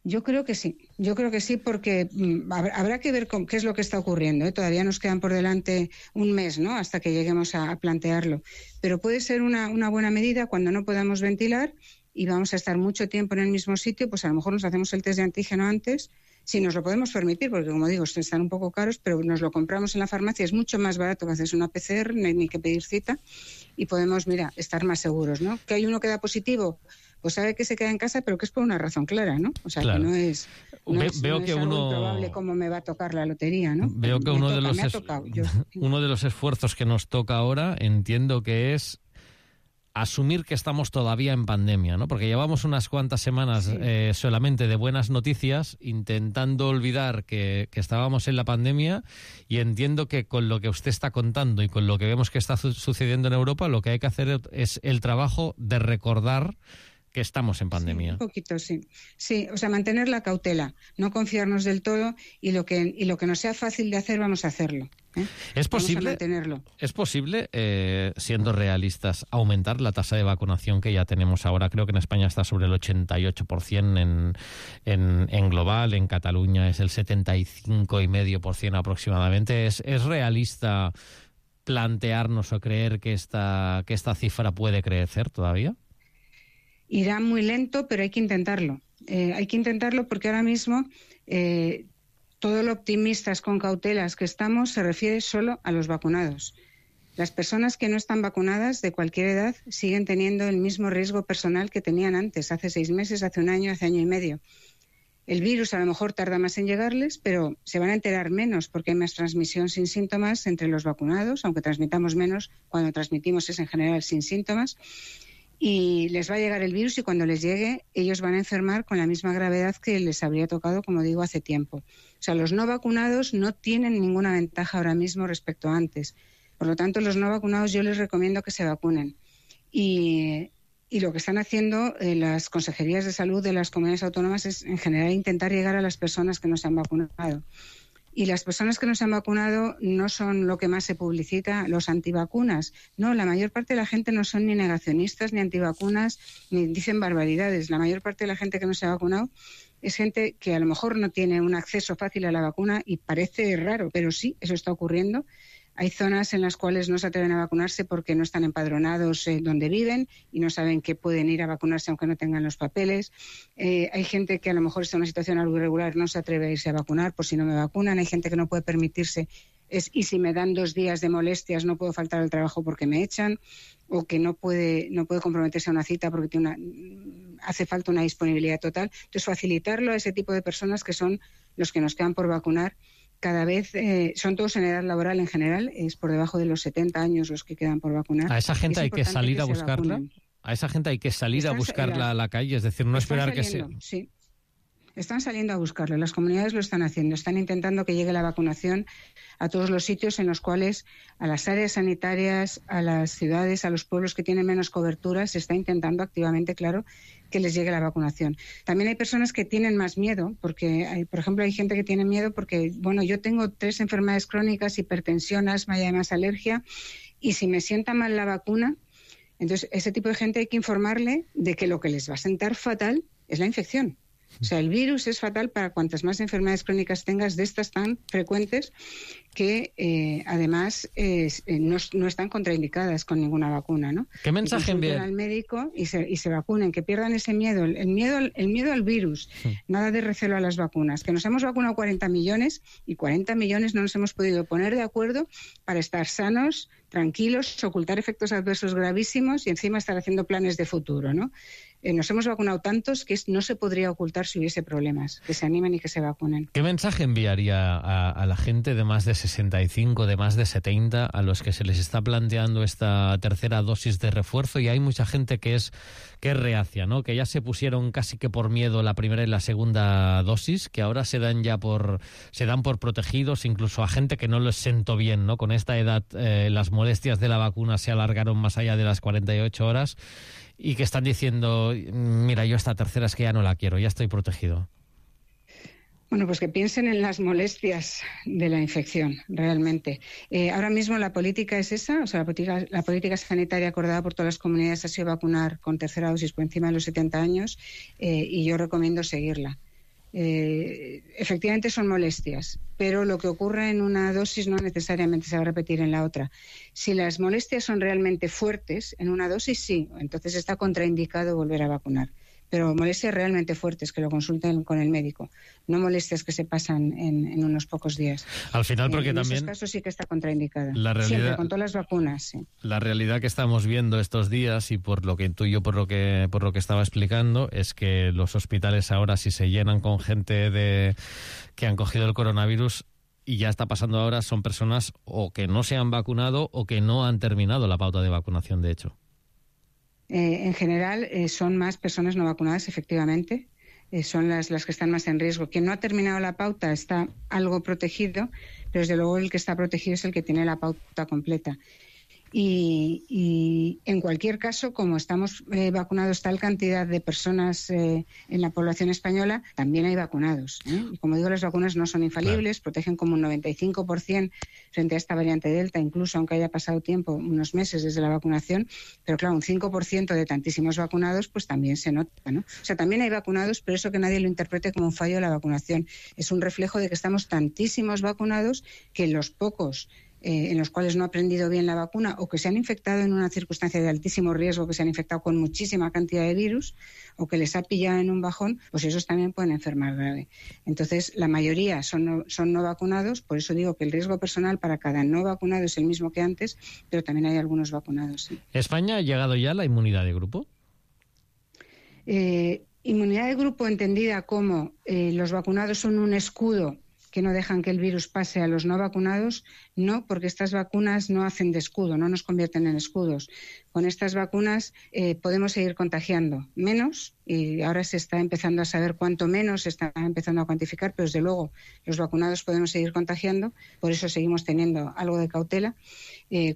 Yo creo que sí, porque habrá que ver qué es lo que está ocurriendo, ¿eh? Todavía nos quedan por delante un mes, ¿no?, hasta que lleguemos a plantearlo. Pero puede ser una buena medida cuando no podamos ventilar y vamos a estar mucho tiempo en el mismo sitio, pues a lo mejor nos hacemos el test de antígeno antes, si nos lo podemos permitir, porque como digo, están un poco caros, pero nos lo compramos en la farmacia, es mucho más barato que hacerse una PCR, ni que pedir cita, y podemos, estar más seguros, ¿no? Que hay uno que da positivo, pues sabe que se queda en casa, pero que es por una razón clara, ¿no? O sea, claro, que no es algo improbable como me va a tocar la lotería, ¿no? Veo que uno de los esfuerzos que nos toca ahora, entiendo que es asumir que estamos todavía en pandemia, ¿no? Porque llevamos unas cuantas semanas solamente de buenas noticias, intentando olvidar que estábamos en la pandemia, y entiendo que con lo que usted está contando y con lo que vemos que está sucediendo en Europa, lo que hay que hacer es el trabajo de recordar que estamos en pandemia. Sí, un poquito, sí. Sí, o sea, mantener la cautela, no confiarnos del todo, y lo que nos sea fácil de hacer, vamos a hacerlo. ¿Es posible, siendo realistas, aumentar la tasa de vacunación que ya tenemos ahora? Creo que en España está sobre el 88% en global, en Cataluña es el 75,5% aproximadamente. ¿Es realista plantearnos o creer que esta cifra puede crecer todavía? Irá muy lento, pero hay que intentarlo. Hay que intentarlo porque ahora mismo todo lo optimistas con cautelas que estamos se refiere solo a los vacunados. Las personas que no están vacunadas de cualquier edad siguen teniendo el mismo riesgo personal que tenían antes, hace 6 meses, hace un año, hace año y medio. El virus a lo mejor tarda más en llegarles, pero se van a enterar menos porque hay más transmisión sin síntomas entre los vacunados, aunque transmitamos menos, cuando transmitimos es en general sin síntomas. Y les va a llegar el virus, y cuando les llegue ellos van a enfermar con la misma gravedad que les habría tocado, como digo, hace tiempo. O sea, los no vacunados no tienen ninguna ventaja ahora mismo respecto a antes. Por lo tanto, los no vacunados yo les recomiendo que se vacunen. Y lo que están haciendo las consejerías de salud de las comunidades autónomas es, en general, intentar llegar a las personas que no se han vacunado. Y las personas que no se han vacunado no son lo que más se publicita, los antivacunas. No, la mayor parte de la gente no son ni negacionistas, ni antivacunas, ni dicen barbaridades. La mayor parte de la gente que no se ha vacunado es gente que a lo mejor no tiene un acceso fácil a la vacuna, y parece raro, pero sí, eso está ocurriendo. Hay zonas en las cuales no se atreven a vacunarse porque no están empadronados donde viven y no saben que pueden ir a vacunarse aunque no tengan los papeles. Hay gente que a lo mejor está en una situación algo irregular, no se atreve a irse a vacunar por si no me vacunan. Hay gente que no puede permitirse, y si me dan 2 días de molestias no puedo faltar al trabajo porque me echan, o que no puede comprometerse a una cita porque hace falta una disponibilidad total. Entonces, facilitarlo a ese tipo de personas que son los que nos quedan por vacunar. Cada vez son todos en edad laboral en general, es por debajo de los 70 años los que quedan por vacunar. ¿A esa gente hay que salir a buscarla? ¿A esa gente hay que salir a buscarla a la calle? Es decir, no esperar que sea... Sí. Están saliendo a buscarlo, las comunidades lo están haciendo, están intentando que llegue la vacunación a todos los sitios en los cuales, a las áreas sanitarias, a las ciudades, a los pueblos que tienen menos cobertura, se está intentando activamente, claro, que les llegue la vacunación. También hay personas que tienen más miedo, porque, por ejemplo, hay gente que tiene miedo porque, bueno, yo tengo 3 enfermedades crónicas, hipertensión, asma y además alergia, y si me sienta mal la vacuna, entonces ese tipo de gente hay que informarle de que lo que les va a sentar fatal es la infección. O sea, el virus es fatal para cuantas más enfermedades crónicas tengas, de estas tan frecuentes que además no están contraindicadas con ninguna vacuna, ¿no? ¿Qué mensaje envían al médico y se vacunen, que pierdan ese miedo, el miedo al virus, nada de recelo a las vacunas, que nos hemos vacunado 40 millones y 40 millones no nos hemos podido poner de acuerdo para estar sanos, tranquilos, ocultar efectos adversos gravísimos y encima estar haciendo planes de futuro, ¿no? Nos hemos vacunado tantos que no se podría ocultar si hubiese problemas. Que se animen y que se vacunen. ¿Qué mensaje enviaría a la gente de más de 65, de más de 70, a los que se les está planteando esta tercera dosis de refuerzo? Y hay mucha gente que es reacia, ¿no? Que ya se pusieron casi que por miedo la primera y la segunda dosis, que ahora se dan por protegidos, incluso a gente que no les sentó bien, ¿no? Con esta edad las molestias de la vacuna se alargaron más allá de las 48 horas. Y que están diciendo, mira, yo esta tercera es que ya no la quiero, ya estoy protegido. Bueno, pues que piensen en las de la infección, realmente. Ahora mismo la política es esa, o sea, la política sanitaria acordada por todas las comunidades ha sido vacunar con tercera dosis por encima de los 70 años y yo recomiendo seguirla. Efectivamente son molestias, pero lo que ocurre en una dosis no necesariamente se va a repetir en la otra. Si las molestias son realmente fuertes, en una dosis sí, entonces está contraindicado volver a vacunar. Pero molestias realmente fuertes, que lo consulten con el médico, no molestias que se pasan en unos pocos días. Al final, porque en también... En esos casos sí que está contraindicada. La realidad, siempre, con todas las vacunas, sí. La realidad que estamos viendo estos días, y por lo que intuyo, por lo que estaba explicando, es que los hospitales ahora, si se llenan con gente que han cogido el coronavirus, y ya está pasando ahora, son personas o que no se han vacunado o que no han terminado la pauta de vacunación, de hecho. En general son más personas no vacunadas, efectivamente, son las que están más en riesgo. Quien no ha terminado la pauta está algo protegido, pero desde luego el que está protegido es el que tiene la pauta completa. Y en cualquier caso, como estamos vacunados tal cantidad de personas en la población española, también hay vacunados, ¿eh? Y como digo, las vacunas no son infalibles, protegen como un 95% frente a esta variante Delta, incluso aunque haya pasado tiempo, unos meses desde la vacunación, pero claro, un 5% de tantísimos vacunados, pues también se nota, ¿no? O sea, también hay vacunados, pero eso que nadie lo interprete como un fallo de la vacunación. Es un reflejo de que estamos tantísimos vacunados que los pocos en los cuales no ha aprendido bien la vacuna o que se han infectado en una circunstancia de altísimo riesgo, que se han infectado con muchísima cantidad de virus o que les ha pillado en un bajón, pues esos también pueden enfermar grave. Entonces, la mayoría son no vacunados, por eso digo que el riesgo personal para cada no vacunado es el mismo que antes, pero también hay algunos vacunados. ¿Sí? ¿España ha llegado ya a la inmunidad de grupo? Inmunidad de grupo entendida como los vacunados son un escudo que no dejan que el virus pase a los no vacunados, no, porque estas vacunas no hacen de escudo, no nos convierten en escudos. Con estas vacunas podemos seguir contagiando menos, y ahora se está empezando a saber cuánto menos se está empezando a cuantificar, pero desde luego los vacunados podemos seguir contagiando, por eso seguimos teniendo algo de cautela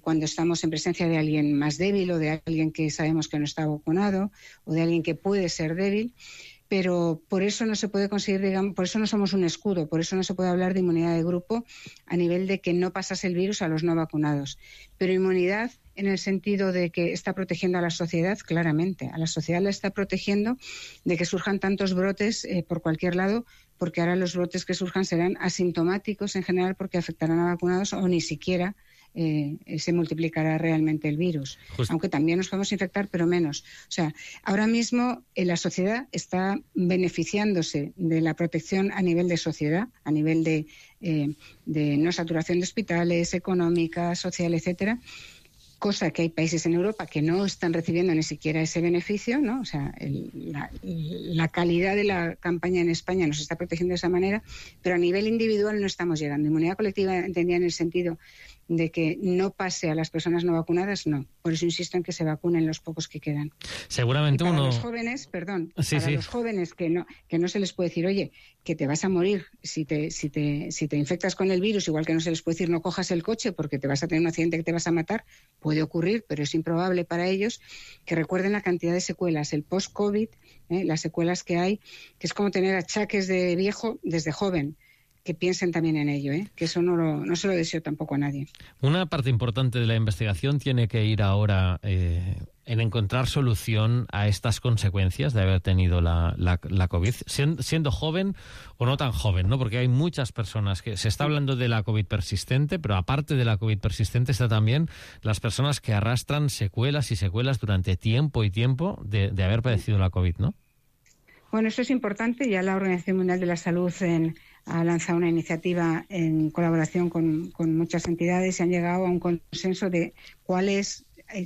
cuando estamos en presencia de alguien más débil o de alguien que sabemos que no está vacunado o de alguien que puede ser débil. Pero por eso no se puede conseguir, digamos, por eso no somos un escudo, por eso no se puede hablar de inmunidad de grupo a nivel de que no pasase el virus a los no vacunados. Pero inmunidad en el sentido de que está protegiendo a la sociedad, claramente. A la sociedad la está protegiendo de que surjan tantos brotes por cualquier lado, porque ahora los brotes que surjan serán asintomáticos en general porque afectarán a vacunados o ni siquiera se multiplicará realmente el virus. Aunque también nos podemos infectar, pero menos. O sea, ahora mismo la sociedad está beneficiándose de la protección a nivel de sociedad, a nivel de no saturación de hospitales, económica, social, etcétera, cosa que hay países en Europa que no están recibiendo ni siquiera ese beneficio, ¿no? O sea, la calidad de la campaña en España nos está protegiendo de esa manera, pero a nivel individual no estamos llegando. Inmunidad colectiva entendida en el sentido de que no pase a las personas no vacunadas, no. Por eso insisto en que se vacunen los pocos que quedan. Seguramente los jóvenes, los jóvenes que no se les puede decir, oye, que te vas a morir si te infectas con el virus, igual que no se les puede decir no cojas el coche porque te vas a tener un accidente que te vas a matar, puede ocurrir, pero es improbable para ellos, que recuerden la cantidad de secuelas, el post-COVID, las secuelas que hay, que es como tener achaques de viejo desde joven. Que piensen también en ello, que eso no se lo deseo tampoco a nadie. Una parte importante de la investigación tiene que ir ahora en encontrar solución a estas consecuencias de haber tenido la COVID, siendo joven o no tan joven, ¿no? Porque hay muchas personas que se está hablando de la COVID persistente, pero aparte de la COVID persistente está también las personas que arrastran secuelas y secuelas durante tiempo y tiempo de haber padecido la COVID, ¿no? Bueno, eso es importante. Ya la Organización Mundial de la Salud ha lanzado una iniciativa en colaboración con muchas entidades y han llegado a un consenso de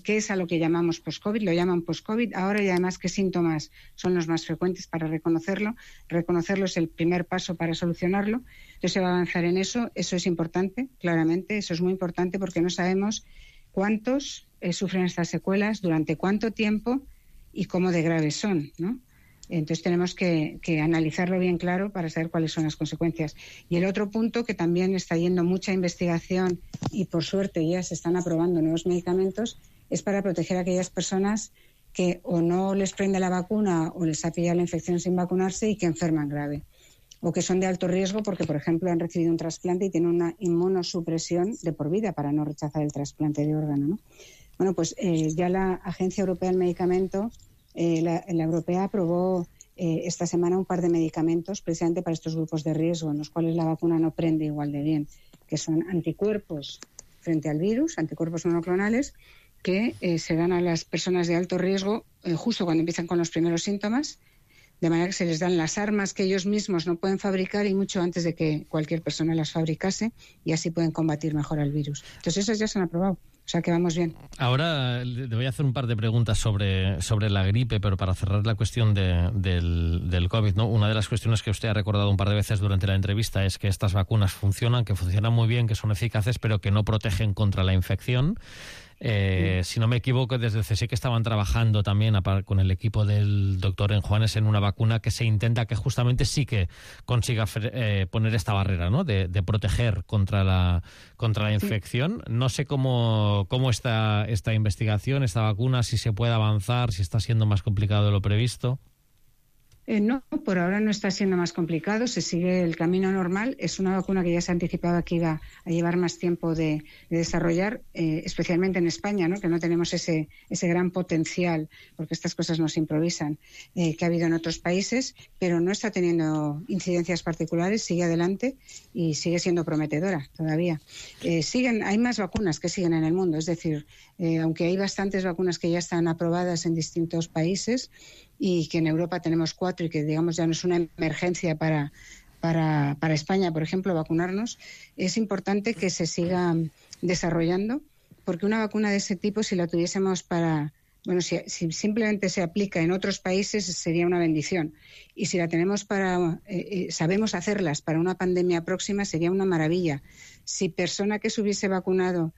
qué es a lo que llamamos post-COVID. Lo llaman post-COVID ahora y además qué síntomas son los más frecuentes para reconocerlo. Reconocerlo es el primer paso para solucionarlo. Entonces se va a avanzar en eso. Eso es importante, claramente. Eso es muy importante porque no sabemos cuántos sufren estas secuelas, durante cuánto tiempo y cómo de graves son, ¿no? Entonces tenemos que analizarlo bien claro para saber cuáles son las consecuencias. Y el otro punto, que también está yendo mucha investigación y por suerte ya se están aprobando nuevos medicamentos, es para proteger a aquellas personas que o no les prende la vacuna o les ha pillado la infección sin vacunarse y que enferman grave. O que son de alto riesgo porque, por ejemplo, han recibido un trasplante y tienen una inmunosupresión de por vida para no rechazar el trasplante de órgano, ¿no? Bueno, pues ya la Agencia Europea del Medicamento, la europea, aprobó esta semana un par de medicamentos precisamente para estos grupos de riesgo en los cuales la vacuna no prende igual de bien, que son anticuerpos frente al virus, anticuerpos monoclonales, que se dan a las personas de alto riesgo justo cuando empiezan con los primeros síntomas, de manera que se les dan las armas que ellos mismos no pueden fabricar y mucho antes de que cualquier persona las fabricase, y así pueden combatir mejor al virus. Entonces esas ya se han aprobado. O sea que vamos bien. Ahora le voy a hacer un par de preguntas sobre la gripe, pero para cerrar la cuestión del COVID, ¿no? Una de las cuestiones que usted ha recordado un par de veces durante la entrevista es que estas vacunas funcionan, que funcionan muy bien, que son eficaces, pero que no protegen contra la infección. Si no me equivoco, desde el CSIC estaban trabajando también con el equipo del doctor Enjuanes en una vacuna que se intenta que justamente sí que consiga poner esta barrera, ¿no? de proteger contra la infección. No sé cómo está esta investigación, esta vacuna, si se puede avanzar, si está siendo más complicado de lo previsto. No, por ahora no está siendo más complicado, se sigue el camino normal. Es una vacuna que ya se anticipaba que iba a llevar más tiempo de desarrollar, especialmente en España, ¿no? Que no tenemos ese gran potencial, porque estas cosas no se improvisan, que ha habido en otros países, pero no está teniendo incidencias particulares, sigue adelante y sigue siendo prometedora todavía. Hay más vacunas que siguen en el mundo, es decir, aunque hay bastantes vacunas que ya están aprobadas en distintos países, y que en Europa tenemos 4 y que, digamos, ya no es una emergencia para España, por ejemplo, vacunarnos, es importante que se siga desarrollando, porque una vacuna de ese tipo, si la tuviésemos si simplemente se aplica en otros países, sería una bendición. Y si la tenemos sabemos hacerlas para una pandemia próxima, sería una maravilla. Si persona que se hubiese vacunado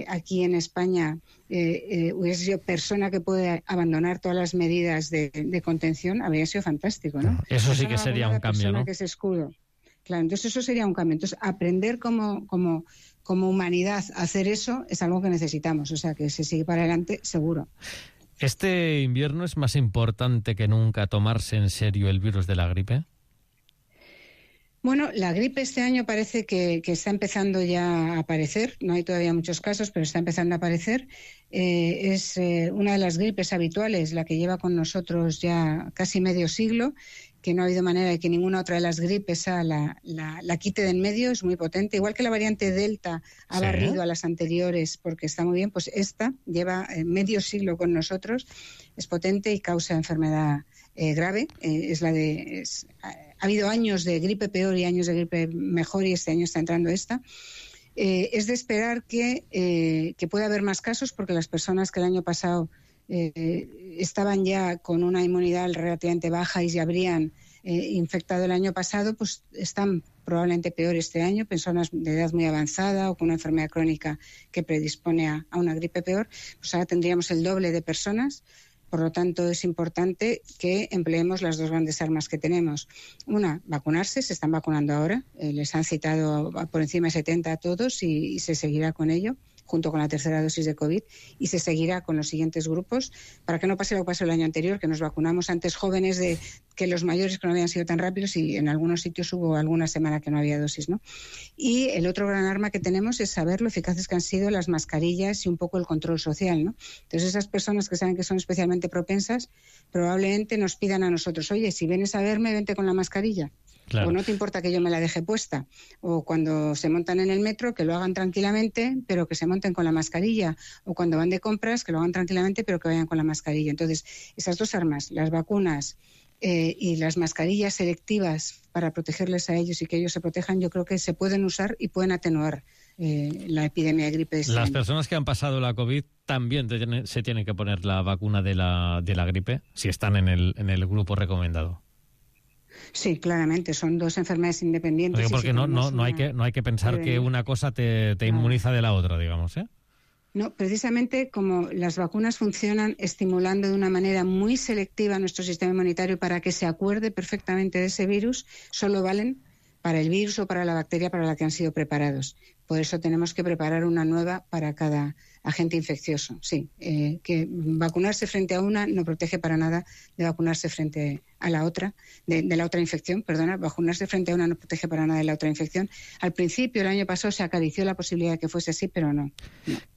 aquí en España hubiese sido persona que puede abandonar todas las medidas de contención, habría sido fantástico, ¿no? Eso sí que sería un cambio, ¿no? Que es escudo. Claro, entonces eso sería un cambio. Entonces, aprender como humanidad a hacer eso es algo que necesitamos. O sea, que se sigue para adelante, seguro. ¿Este invierno es más importante que nunca tomarse en serio el virus de la gripe? Bueno, la gripe este año parece que está empezando ya a aparecer. No hay todavía muchos casos, pero está empezando a aparecer. Es una de las gripes habituales, la que lleva con nosotros ya casi medio siglo, que no ha habido manera de que ninguna otra de las gripes la quite de en medio. Es muy potente. Igual que la variante Delta ha barrido a las anteriores porque está muy bien, pues esta lleva medio siglo con nosotros. Es potente y causa enfermedad grave. Ha habido años de gripe peor y años de gripe mejor, y este año está entrando esta. Es de esperar que pueda haber más casos, porque las personas que el año pasado estaban ya con una inmunidad relativamente baja y ya habrían infectado el año pasado, pues están probablemente peor este año, personas de edad muy avanzada o con una enfermedad crónica que predispone a una gripe peor, pues ahora tendríamos el doble de personas. Por lo tanto, es importante que empleemos las dos grandes armas que tenemos. Una, vacunarse, se están vacunando ahora, les han citado por encima de 70 a todos y se seguirá con ello, junto con la tercera dosis de COVID, y se seguirá con los siguientes grupos, para que no pase lo que pasó el año anterior, que nos vacunamos antes jóvenes que los mayores, que no habían sido tan rápidos, y en algunos sitios hubo alguna semana que no había dosis, ¿no? Y el otro gran arma que tenemos es saber lo eficaces que han sido las mascarillas y un poco el control social, ¿no? Entonces, esas personas que saben que son especialmente propensas, probablemente nos pidan a nosotros, oye, si vienes a verme, vente con la mascarilla. Claro. O no te importa que yo me la deje puesta. O cuando se montan en el metro, que lo hagan tranquilamente, pero que se monten con la mascarilla. O cuando van de compras, que lo hagan tranquilamente, pero que vayan con la mascarilla. Entonces, esas dos armas, las vacunas y las mascarillas selectivas para protegerles a ellos y que ellos se protejan, yo creo que se pueden usar y pueden atenuar la epidemia de gripe. Las personas que han pasado la COVID también se tienen que poner la vacuna de la gripe, si están en el grupo recomendado. Sí, claramente, son dos enfermedades independientes. Porque no hay que pensar que una cosa te inmuniza de la otra, digamos, ¿eh? No, precisamente como las vacunas funcionan estimulando de una manera muy selectiva nuestro sistema inmunitario para que se acuerde perfectamente de ese virus, solo valen para el virus o para la bacteria para la que han sido preparados. Por eso tenemos que preparar una nueva para cada agente infeccioso. Sí, que vacunarse frente a una no protege para nada de vacunarse frente a la otra, de la otra infección, perdona, vacunarse frente a una no protege para nada de la otra infección. Al principio, el año pasado, se acarició la posibilidad de que fuese así, pero no.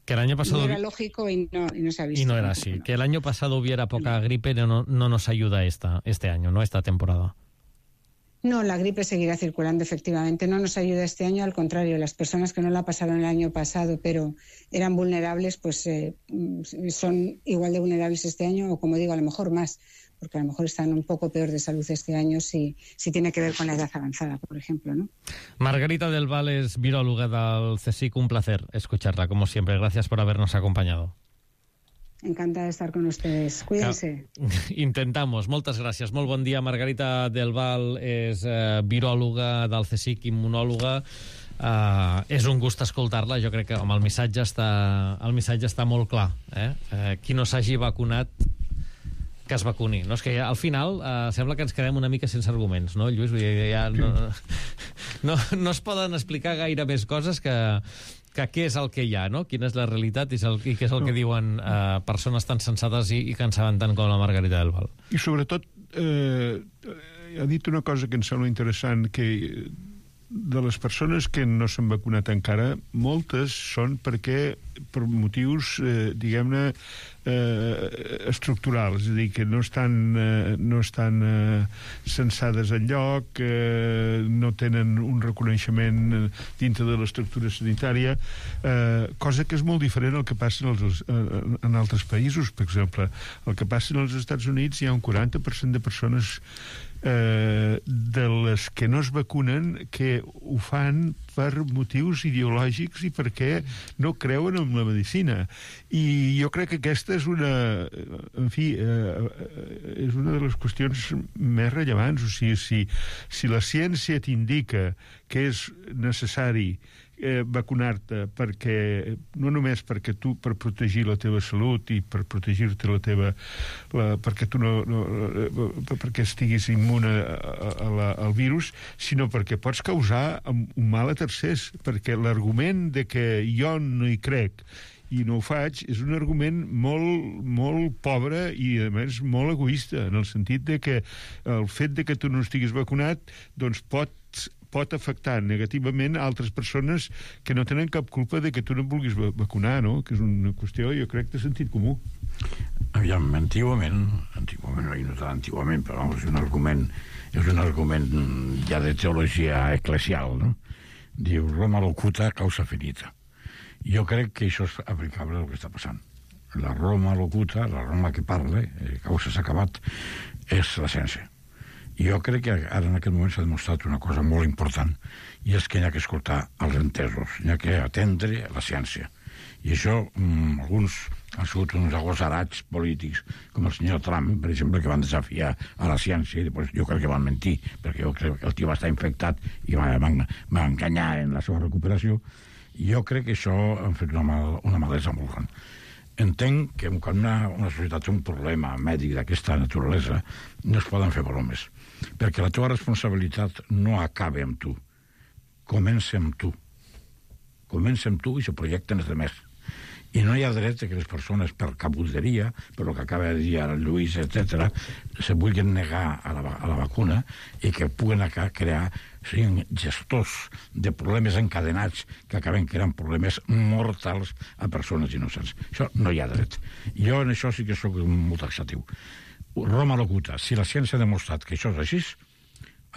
Que el año pasado no era lógico y no se ha visto. Y no era así. No. Que el año pasado hubiera poca gripe no nos ayuda este año, ¿no? Esta temporada. No, la gripe seguirá circulando, efectivamente. No nos ayuda este año, al contrario. Las personas que no la pasaron el año pasado, pero eran vulnerables, pues son igual de vulnerables este año, o como digo, a lo mejor más, porque a lo mejor están un poco peor de salud este año si tiene que ver con la edad avanzada, por ejemplo, ¿no? Margarita del Val es viróloga del CSIC. Un placer escucharla, como siempre. Gracias por habernos acompañado. Encantada de estar con ustedes. Cuídense. Intentamos. Moltes gràcies. Molt bon dia. Margarita del Val és viròloga del CSIC, immunòloga. És un gust escoltar-la. Jo crec que el missatge està molt clar. Qui no s'hagi vacunat, que es vacuni. No, és que al final sembla que ens quedem una mica sense arguments, no, Lluís? Ja no es poden explicar gaire més coses que què és el que hi ha, no? Quina és la realitat i què és el que diuen persones tan sensates i que en saben tant com la Margarita del Val. I sobretot ha dit una cosa que em sembla interessant, que de les persones que no s'han vacunat encara, moltes són per motius, diguem-ne, estructurals, és a dir, que no estan censades enlloc, no tenen un reconeixement dintre de l'estructura sanitària, cosa que és molt diferent al que passa en altres països. Per exemple, el que passa als Estats Units, hi ha un 40% de persones de les que no es vacunen que ho fan per motius ideològics i perquè no creuen en la medicina. I jo crec que aquesta és una de les qüestions més rellevants. O sigui, si la ciència t'indica que és necessari vacunar-te perquè no només per protegir la teva salut i per protegir-te perquè estiguis immune al virus, sinó perquè pots causar un mal a tercers, perquè l'argument de que jo no hi crec i no ho faig és un argument molt pobre i a més molt egoista, en el sentit de que el fet de que tu no estiguis vacunat doncs pot afectar negativament a altres persones que no tenen cap culpa de que tu no et vulguis vacunar, no? Que és una qüestió, jo crec, de sentit comú. Aviam, antigament, no tan antigament, però és un argument ja de teologia eclesial, no? Diu, Roma locuta, causa finita. Jo crec que això és aplicable al que està passant. La Roma locuta, la Roma que parla, causa s'ha acabat, és la ciència. Jo crec que ara en aquest moment s'ha demostrat una cosa molt important, i és que hi ha que escoltar els entesos, hi ha que atendre la ciència. I això, alguns han sigut uns agosarats polítics, com el senyor Trump, per exemple, que van desafiar a la ciència, i després jo crec que van mentir, perquè jo crec que el tio va estar infectat i va enganyar en la seva recuperació. I jo crec que això han fet una malesa molt gran. Entenc que quan una societat té un problema mèdic d'aquesta naturalesa no es poden fer bromes, perquè la teva responsabilitat no acaba amb tu, comença amb tu i se projecten els demés. I no hi ha dret que les persones, per cabuderia, per el que acaba de dir el Lluís, etc., se vulguin negar a la vacuna i que puguen crear, siguin gestors de problemes encadenats que acaben creant problemes mortals a persones innocents. Això no hi ha dret. Jo en això sí que sóc molt taxatiu. Roma locuta. Si la ciència ha demostrat que això és així,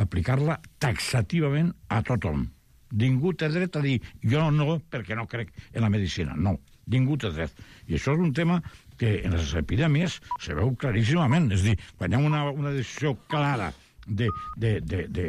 aplicar-la taxativament a tothom. Ningú té dret a dir jo no, perquè no crec en la medicina. No, ningú té dret. I això és un tema que en les epidèmies se veu claríssimament. És a dir, quan hi ha una decisió clara de